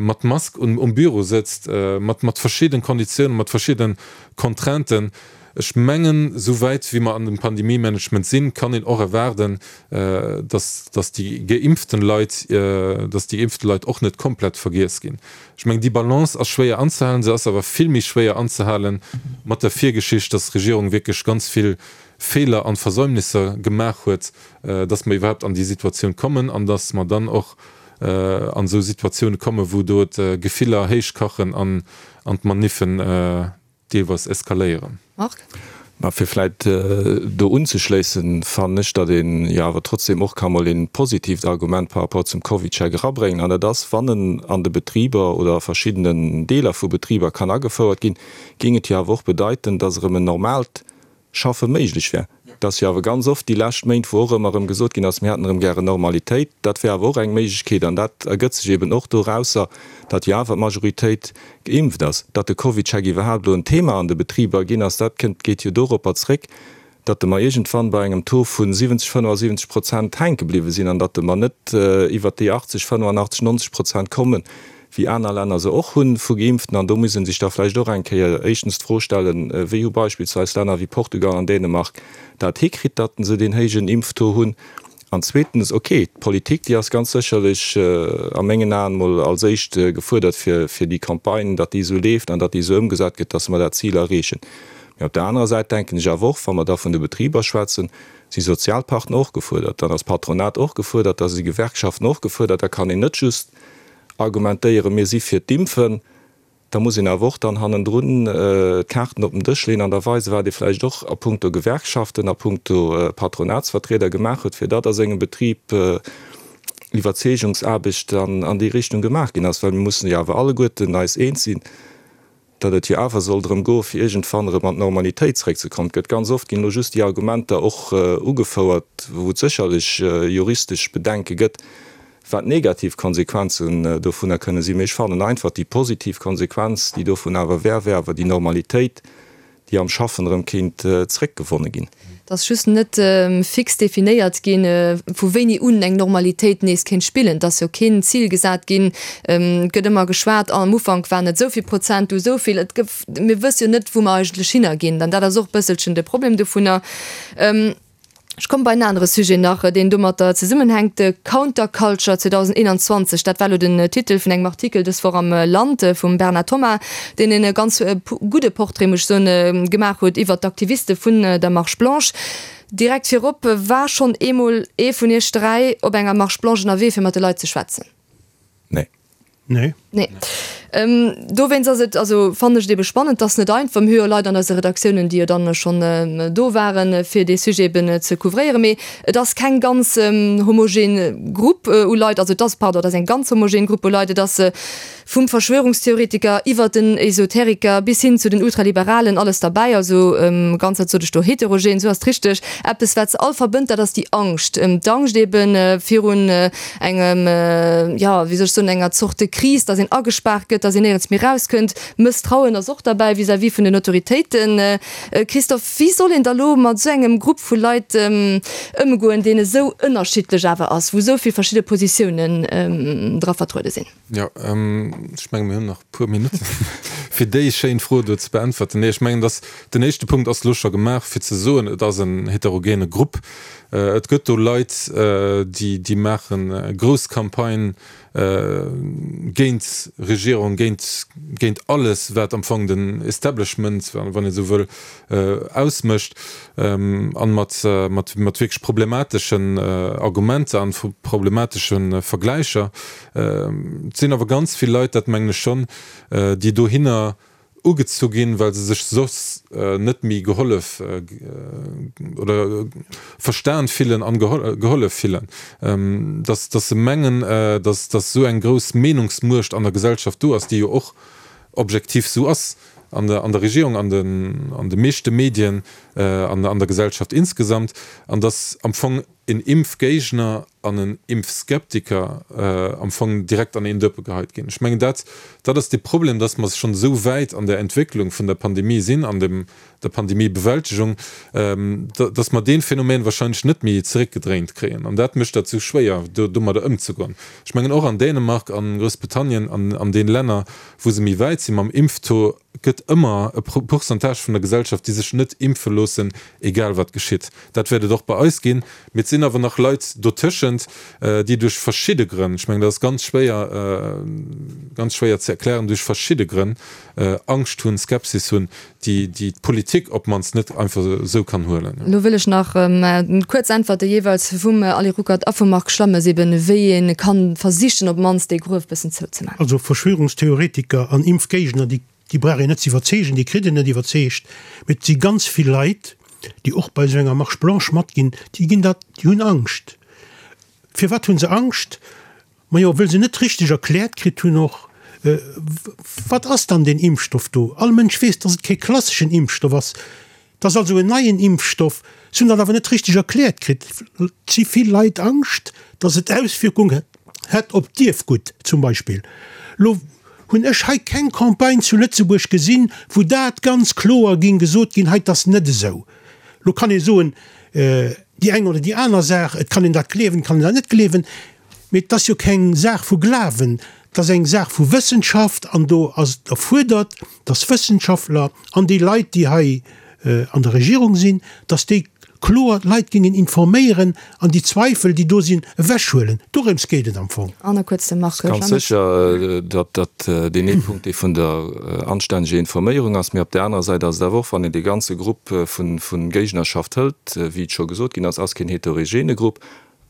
mat Mask um Büro sëtzt, mat mat verschidden Konditiounen, mat verschidden Contrainten. Ech mengen, esou wäit wéi mer an dem Pandemiemanagement sinn, kann een och erwaarden, dass dass déi geimpften Leit, dass déi geimpfte Leit och net komplett vergiess ginn. Ech mengen, déi Balance ass schwéier anzehalen. Se ass awer vill méi schwéier anzehalen mat der Virgeschicht, dass d'Regierung wierklech ganz vill Feeler an Versäumnisser gemaach huet, dass mer iwwerhaapt an déi Situatioun kommen an dass mer dann och an esou Situatioune kommen, wou do d'Gefiller héichkachen an d'Maniffen deelweis eskaléieren. Marc? Mä fir vläicht do unzeschléissen, fannen ech, datt een jo awer trotzdem och ka mol een positiivt Argument par rapport zum CovidCheck erabréngen, an dat ass, wann en an de Betriber oder a verschiddenen Deeler vu Betriber kann agefouert ginn, géing et jo awer och bedeiten, datt erëm en normaalt Schaffe méiglech wär. Et ass jo awer ganz oft déi lescht Méint, wou och ëmmer erëm gesot ginn ass, mir hätten erëm gären Normalitéit. Dat wär awer och eng Méiglechkeet an dat ergëtt sech eben och dorausser, datt jo awer d'Majoritéit geimpft ass. Datt de CovidCheck iwwerhaapt elo en Thema an de Betriber ginn ass, dat kënnt, geet jo doropper zréck, datt mer iergendwann bei engem Taux vu siwwenzeg, fënnefasiwwenzeg Prozent hänke bliwwe sinn an datt mer net iwwert déi achtzeg, fënnefenachtzeg, nonzeg Prozent kommen, wéi aner Länner se och hunn, vu Geimpften. An do muss ee sech da vläicht och eng Kéier éischtens d'Fro stellen, Wéi hu beispillsweis Länner wéi Portugal an Dänemark dat hikritt, datt se deen héijen Impftaux hunn? An zweetens, okay, d'Politik, déi ass ganz sécherlech a mengen Aen emol als éischt gefuerdert, fir fir déi Campagne, datt déi esou leeft an datt déi esou ëmgesat gëtt, datt mer dat Zil erreechen. Mee op der anerer Säit denken ech awer och, wa mer da vun de Betriber schwätzen, si Sozialpartner och gefuerdert, dann ass d'Patronat och gefuerdert, da si Gewerkschaften och gefuerdert. Da kann een net just argumentéieren, mir si fir d'Impfen, da muss een awer och dann hannendrun d'Kaarten op den Dësch leeën an da weisen, wat ee vläicht och a puncto Gewerkschaften, a puncto Patronatsvertrieder gemaach huet, fir datt a sengem Betrib Iwwerzeegungsaarbecht an déi Richtung gemaach ginn ass. Well mir mussen jo awer alleguerten eis eens sinn, datt et jo awer soll drëm goen, fir iergendwann erëm an d'Normalitéit zréckzekommen. Et gëtt ganz oft, ginn elo just déi Argumenter och ugefouert, wou et sécherlech juristesch Bedenke gëtt, wat negativ Konsequenzen dovunner kënne sinn. Mee ech fannen einfach, déi positiv Konsequenz, déi dovun awer wär, wär awer déi Normalitéit, déi am Schaffen erëm kéint zréckgewonne ginn. Et ass just net fix definéiert ginn, vu wéini un eng Normalitéit nees kéint spillen. Et ass jo keen Zil gesat ginn. Et gëtt ëmmer geschwat, am Ufank waren et esou vill Prozent, du esou vill. Et gëff, mir wësse jo net, wou mer eigentlech hinner ginn. An dat ass och e bësselchen de Problem dovunner. Ech komme bei en anere Sujet nach, deen domatter zesummenhänkt, Counterculture zweedausendeenanzwanzeg, dat war elo den Titel vun engem Artikel dës Woch am Land vum Bernard Thomas, deen e ganz gudde Portrait, muss ech soen, gemaach huet iwwert d'Aktiviste vun der Marche Blanche. Direkt virop, War schonn eemol ee vun iech dräi op enger Marche Blanche ënnerwee, fir mat de Leit ze schwätzen? Nee. Nee. Nee. Dowéinst ass et, also fannen ech et ebe spannend, et ass net einfach, mir hu jo Leit an eise Redaktiounen, déi jo dann schonn do waren, fir dee Sujet eben ze couvréieren, mee et ass keng ganz homogen Grupp u Leit, also et ass, pardon, et ass eng ganz homogen Grupp u Leit, et ass vum Verschwörungstheoretiker iwwert den Esoteriker bis hin zu den Ultraliberalen alles derbäi, also ganz, wat sot ech do, heterogen, esou ass et richteg. Eppes wat se all verbënnt, dat ass déi Angscht, d'Angscht ebe virun engem, jo, wéi soll ech soen, enger Zorte Kris, datt een agespaart gëtt, datt een néierens méi erauskënnt. Mësstrauen ass och derbäi vis-à-vis vun den Autoritéiten. Christophe, wéi soll een da lo mat esou engem Grupp vu Leit ëmgoen, deen esou ënnerschiddlech awer ass, wou esou vill verschidde Positiounen dra vertruede sinn? Jo, ech menge mir hunn nach e puer Minutten, fir déi schéin Fro do ze beäntwerten. Nee, ech mengen, dass den éischte Punkt ass elo scho gemaach, fir ze soen, et ass en heterogene Grupp. Et gëtt do Leit, déi, déi maache grouss Campagne géint d'Regierung, géint, géint alles, wat am Fong den Establishment, wann ee sou wëll, ausmécht, an mat, mat, mat wierklech problemateschen Argumenter an problematesche Vergläicher. Et sinn awer ganz vill Leit, dat mengen ech schonn, déi dohinner ugezu ginn, well se sech soss net méi gehollef oder verstan fillen an gehollef fillen, dass dass se mengen, dass dass esou eng grouss Meenungsmuecht an der Gesellschaft do ass, déi jo och objektiv esou ass an der an der Regierung, an den an de meeschte Medien, an an der Gesellschaft insgesamt, an dass am Fong en Impfgéigner an en Impfskeptiker am Fong direkt an een Dëppe geheit ginn. Ech mengen, dat, dat ass de Problem, dass mer schonn esou wäit an der Entwécklung vun der Pandemie sinn, an dem, der Pandemiebewältegung, dass mer dee Phänomen wahrscheinlech net méi zeréckgedréint kréien. An dat mécht dat esou schwéier, do, domadder ëmzegoen. Ech mengen, och an Dänemark, an Groussbritannien, an, an deene Länner, wou se méi wäit si mam Impftaux, gëtt ëmmer e Pourcentage vun der Gesellschaft, déi sech net impfe loossen, egal wat geschitt. Dat wäert et och bei eis ginn. Mee et sinn awer nach Leit dotëschent, déi duerch verschidde Grënn, ech mengen, dat ass ganz schwéier, ganz schwéier ze erklären, duerch verschidde Grënn Angscht hunn, Skepsis hunn, déi déi d'Politik op d'mannst net einfach esou kann huelen. Elo wëll ech nach kuerz Äntwerte jeeweils vum Ali Ruckert a vum Marc Schlammes, eben wéi ee kann versichen op d'mannst dee Gruef bëssen zouzemaachen. Also Verschwörungstheoretiker an Impfgéigner, déi déi brauch een net ze iwwerzeegen, déi kritt een net iwwerzeegt, mee et si ganz vill Leit, déi och bei esou enger Marche blanche matginn, déi ginn dat, déi hunn Angscht. Firwat hu se Angscht? Majo, wëll se net richteg erkläert kritt hunn och, wat ass dann deen Impfstoff do? All Mënsch weess, datt et kee klasseschen Impfstoff ass. Et ass also en neien Impfstoff. Se hunn dat awer net richteg erkläert kritt. Et si vill Leit Angscht, datt et Auswierkung hätt op d'Ierfgutt zum Beispill. Lo hunn ech hei keng Campagne zu Lëtzebuerg gesinn, wou dat ganz kloer géing gesot ginn, hei, et ass net esou. Lo kann ee soen, déi eng oder déi aner Saach, et kann een dat gleewen, et kann een dat net gleewen, mee et ass jo keng Saach vu Glawen, et ass eng Saach vu Wëssenschaft an do ass et erfuerdert, dass Wëssenschaftler an déi Leit, déi hei an der Regierung sinn, dass déi kloer d'Leit géingen informéieren an déi Zweifel, déi do sinn, ewechhuelen. Dorëms geet et am Fong. An da kuerz de Marc Ganz Schammes. sécher, datt dat deen ee Punkt, dee vun der anstänneger Informéierung ass. Mee op där anerer Säit ass et awer och, wann een dee ganze Grupp vu Géignerschaft hëlt, wéi et scho gesot ginn ass, ass keen heterogene Grupp.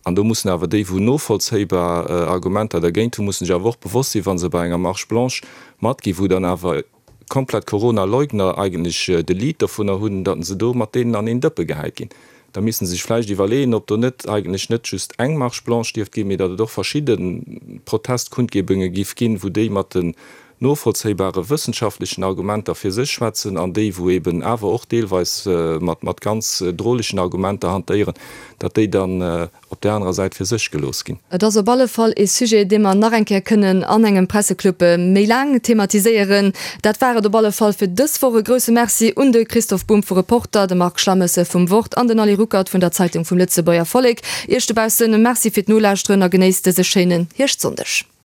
An do mussen awer déi, wou novollzéibar Argumenter dergéint hunn, mussen sech awer och bewosst sinn, wa se bei enger Marche blanche matginn, wou dann awer komplett Corona-Leugner eigentlech de Lead dovunner hunn, datt se do mat deenen an een Dëppe gehäit ginn. Da misste se sech vläicht iwwerleeën, ob do net eigentlech net just eng Marche blanche dierft ginn, mee datt et och verschidde Protestkundgebunge giff ginn, wou déi mat den novollzéibare wëssenschaftlechen Argumenter fir sech schwätzen an déi, wou eben awer och deelweis mat ganz drolegen Argumenter hantéieren, datt déi dann op där anerer Säit fir sech gelooss ginn. Et ass op alle Fall ee Sujet, dee mer nach eng Kéier kënnen an engem Presseclub méi laang thematiséieren. Dat war et op alle Fall fir dës Woch. E grousse Merci un de Christoph Bumb vu Reporter, de Marc Schlammesse vum Wort an den Ali Ruckert vun der Zeitung vum Lëtzebuerger Vollek. Iech dobaussen Merci fir d'Nolauschteren a genéisst dëse schéinen Hierschtsonndeg.